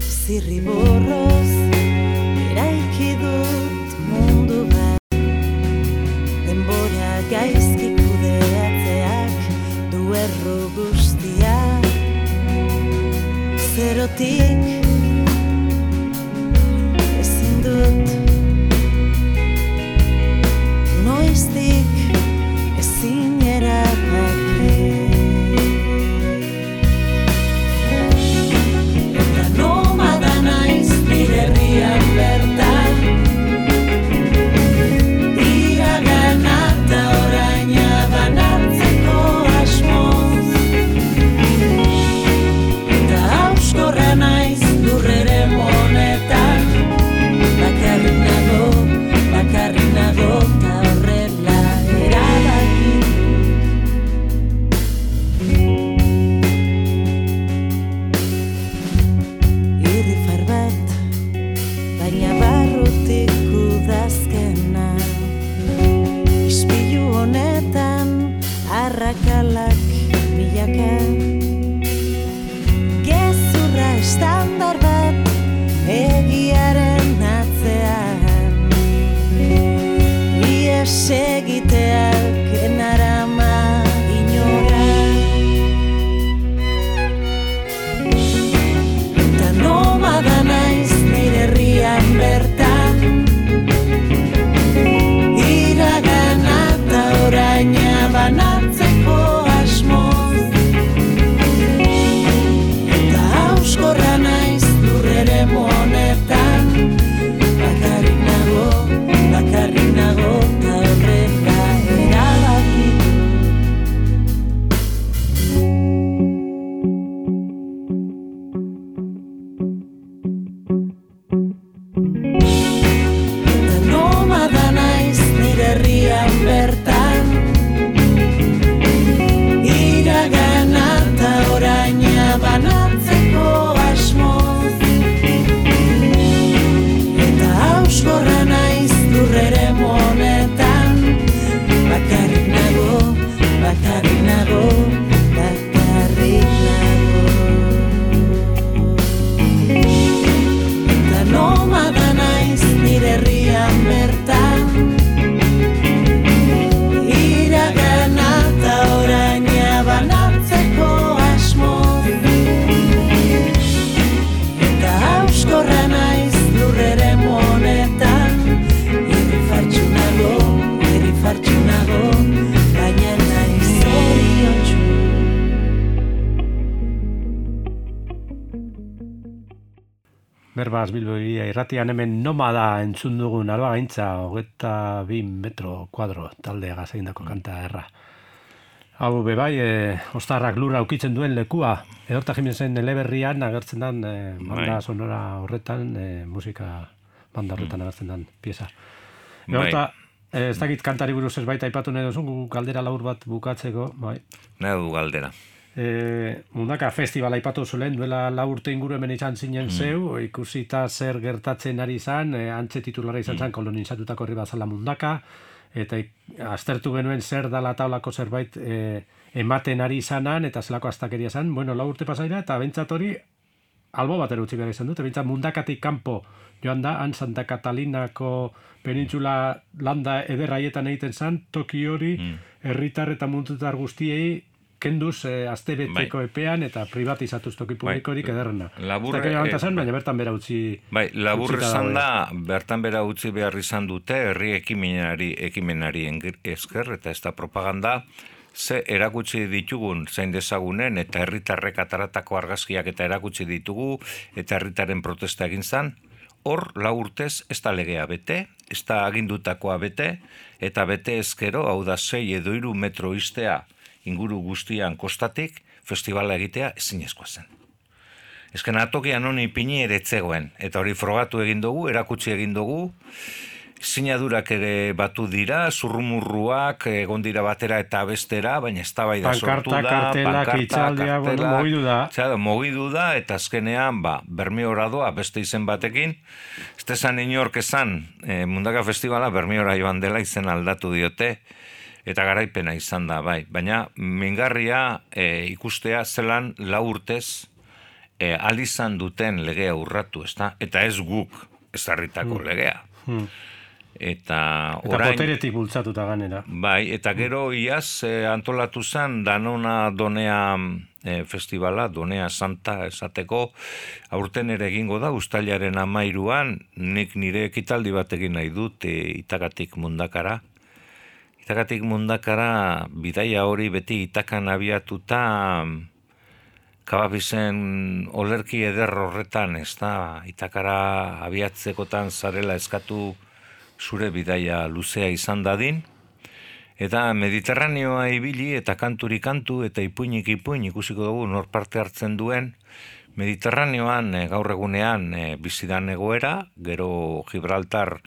Zirriborroz eraiki dut mundu bat. Denbora gaizki kudeatzeak du erro guztia. Zerotik ezin dut noiztik ezin erabaki. Eta nomada naiz nire herrian bertan, iragana eta oraina banatzeko asmoz. Eta arrakalak milaka. Gezurra estandar bat egiaren atzean. Ies egiteak enarama inora. Eta nomada naiz nire herrian bertan. Iragana eta oraina banatzeko asmoz. Eta hauskorra naiz lurrere monetan. Bakarrik nago, bakarrik nago, eta horrela erabaki. Eta nomada naiz nire herrian bertan. Iragana eta oraina banatzeko asmoz. Eta hauskorra naiz lurrere monetan. Bakarrik nago, bakarrik nago, bakarrik nago. Eta nomada naiz nire herrian bertan. Iragana eta oraina banatzeko asmoz. Eta hauskorra naiz lurrere monetan. Herri fartsu nago, herri fartsu nago, baina naiz zoriontsu. Berbaz Bilbo iria irratian hemen nomada entzun dugun aroa gaintza, hogeita bi metro kuadro taldea egindako kanta erra. Hau bebai, e, ostarrak lurra ukitzen duen lekua, Edorta Jimenesen eleberrian agertzen dan e, banda Bai. sonora horretan, e, musika banda horretan agertzen dan pieza. Bai. Edorta, e, ez dakit kantari buruz ez baita aipatu nahi duzun, gu galdera laur bat bukatzeko, bai. Nahi du galdera. E, Mundaka festivala aipatu zuen, duela lau urte inguru hemen izan zinen zeu, ikusita zer gertatzen ari izan, e, antze titulara izan zen kolonizatutako herri bazala Mundaka, eta ik- aztertu genuen zer dala taulako zerbait e, ematen ari izanan, eta zelako astakeria izan, bueno, lau urte pasaira, eta bentsat hori albo batera utzi behar izan dut, bentsat Mundakatik kanpo joan da, han Santa Catalinako penintzula landa ederraietan egiten zen, toki hori herritar eta mundutar guztiei kenduz eh, astebeteko epean eta privatizatuz toki publikorik ederrena. Labur, Ez dakit eh, zen, baina bertan bera utzi... Bai, labur utzita esan dago, da, bertan bera utzi behar izan dute, herri ekimenari, ekimenari engir- esker, eta ez da propaganda, ze erakutsi ditugun zein dezagunen, eta herritarrek ataratako argazkiak eta erakutsi ditugu, eta herritaren protesta egin zan, hor lau urtez ez da legea bete, ez da agindutakoa bete, eta bete ezkero, hau da sei edo hiru metro iztea inguru guztian kostatik, festivala egitea ezinezkoa zen. Ezken atokian honi ipini ere etzegoen, eta hori frogatu egin dugu, erakutsi egin dugu, sinadurak ere batu dira, zurrumurruak egon dira batera eta bestera, baina eztabaida sortu Pankarta, da, kartelak, hitzaldia, bueno, mugidu da. Txada, mugidu da, eta azkenean, ba, Bermiora doa beste izen batekin, ez esan inork esan, e, Mundaka Festivala Bermiora joan dela izen aldatu diote, eta garaipena izan da, bai. Baina mingarria e, ikustea zelan lau urtez e, alizan duten legea urratu, ezta? Eta ez guk ezarritako legea. Eta Eta orain, poteretik bultzatuta ganera. bai, eta gero iaz e, antolatu zen Danona Donea e, festivala, Donea Santa esateko, aurten ere egingo da, uztailaren amairuan, nik nire ekitaldi bat egin nahi dut e, Itagatik Mundakara. Itagatik Mundakara bidaia hori beti Itakan abiatuta Kababizen olerki eder horretan, ez da, Itakara abiatzekotan zarela eskatu zure bidaia luzea izan dadin, eta Mediterraneoa ibili eta kanturi kantu eta ipuinik ipuin ikusiko dugu nor parte hartzen duen, Mediterraneoan e, gaur egunean e, bizidan egoera, gero Gibraltar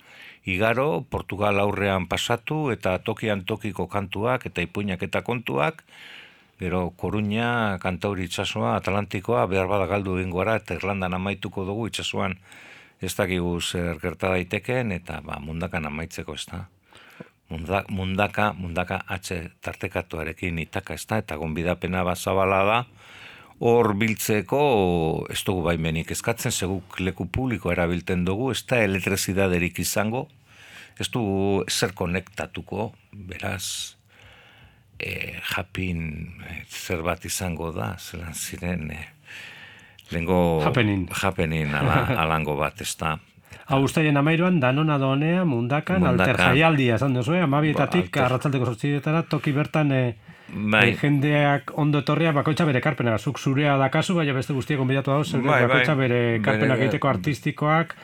igaro, Portugal aurrean pasatu eta tokian tokiko kantuak eta ipuinak eta kontuak, gero Koruña, Kantauri itsasoa, Atlantikoa, behar bada galdu egingo gara eta Irlandan amaituko dugu itsasoan ez dakigu zer gerta daitekeen eta ba, Mundakan amaitzeko ez da. Munda, mundaka, mundaka atxe tartekatuarekin itaka ez da, eta gonbidapena bazabala da, hor biltzeko ez dugu baimenik eskatzen, seguk leku publiko erabilten dugu, ez da elektrizidaderik izango, ez dugu zer konektatuko, beraz, e, japin e, zer bat izango da, zelan ziren, e, lehengo Happening. happening ala, alango bat, ez da. Hau ustaien amairuan, Danona Donea, Mundakan, Mundakan. alter jaialdia, esan duzu, eh? Amabietatik, Ba, alter. arratzaldeko sortzietara, toki bertan e, Bai. e, jendeak ondo etorria bakoitza bere karpena. Zuk zurea dakazu, baina beste guztiek gonbidatu dauz, Bai, bai. bakoitza bere karpenak Bere- egiteko artistikoak,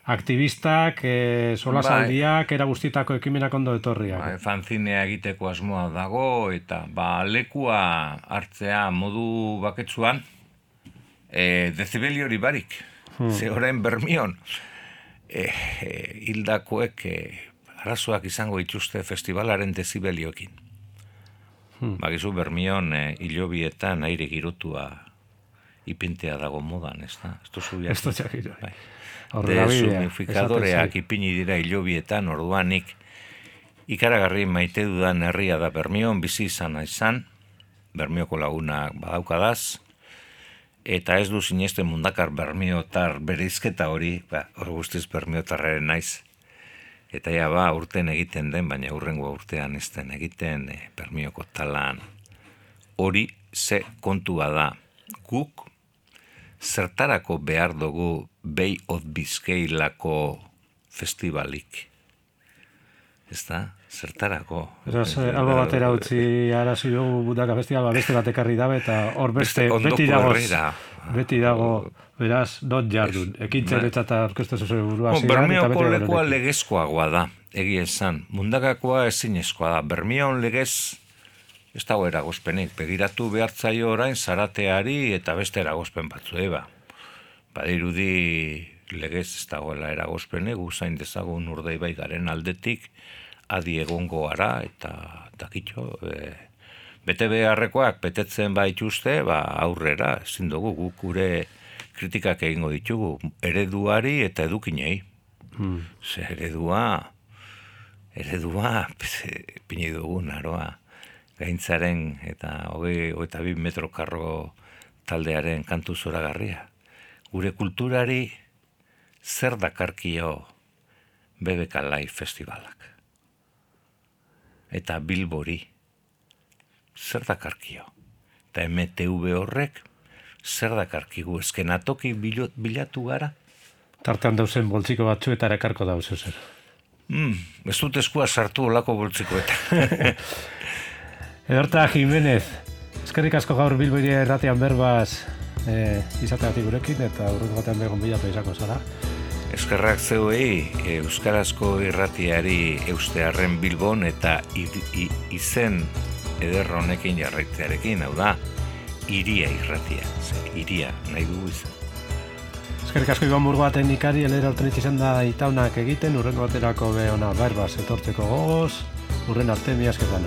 aktivistak, e, solasaldiak, era guztietako ekimenak ondo etorriak. Ba, fanzinea egiteko asmoa dago, eta ba, lekua hartzea modu baketsuan, e, dezibeli hori barik. Hmm. Ze orain Bermion, e, e, hildakoek e, arazoak izango dituzte festivalaren dezibelioekin. Hmm. Bakizu Bermion e, hilobietan aire girotua ipintea dago modan, ez da? Ez duzu Ez dut jakit, bai. Bai. Aurrera bidea, Desumifikadoreak esaten ipini dira hilobietan, orduanik ikaragarri maite dudan herria da Bermion, bizi izan izan, Bermioko lagunak badaukadaz, eta ez du sinesten Mundakar Bermiotar bereizketa hori, ba, hor guztiz Bermiotarraren naiz. Eta ja ba, urten egiten den, baina hurrengo urtean ez den egiten e, Bermioko talan. Hori ze kontua da, guk zertarako behar dugu Bay of Biscay-lako festivalik. Ez da? Zertarako. Beraz, eh, albo batera utzi arazi dugu Mundaka Festival, beste bat ekarri dabe, eta hor beste, Beste ondoko beti dago, herrira. beti dago, beraz, not jardun. Ekintzen Bai. eta orkesta zuzue burua Bon, zidan, eta Bermioko beti lekua gero legezkoagoa da, egia esan. Mundakakoa ezinezkoa da. Bermion legez ez dago eragozpenik. Begiratu behartzaio orain zarateari eta beste eragozpen batzu, eba. Badirudi legez ez dagoela eragozpenik, guzain dezagun Urdaibai garen aldetik, adi egongo gara, eta dakitxo, e, bete beharrekoak betetzen baituzte, ba aurrera, ezin dugu guk gure kritikak egingo ditugu, ereduari eta edukinei. Hmm. Ze eredua, eredua, pini dugu naroa, gaintzaren eta hogei, hogeita bi metro karro taldearen kantu zoragarria. Gure kulturari zer dakarkio B B K Live festivalak. Eta Bilbori zer dakarkio. Eta M T V horrek zer dakarkigu. Eskenatoki bilatu gara. Tartean dauzen boltziko batzu eta ekarko dauz zer. Mm, ez dut eskua sartu olako boltzikoetan. Ederta Jimenez, eskerrik asko gaur Bilbori erratean berbaz eh, izateatik gurekin, eta urrengo batean begon bilatu izango zara. Eskerrak zeuei euskarazko irratiari eustearren Bilbon eta i, i, izen eder honekin jarraitzearekin, hau da, iria irratia, ze, iria nahi dugu izan. Eskerrik asko Iban Burgoa teknikari, elera urten izan da itaunak egiten, urrengo baterako be ona berbaz etortzeko gogoz, urren arte mi asketan.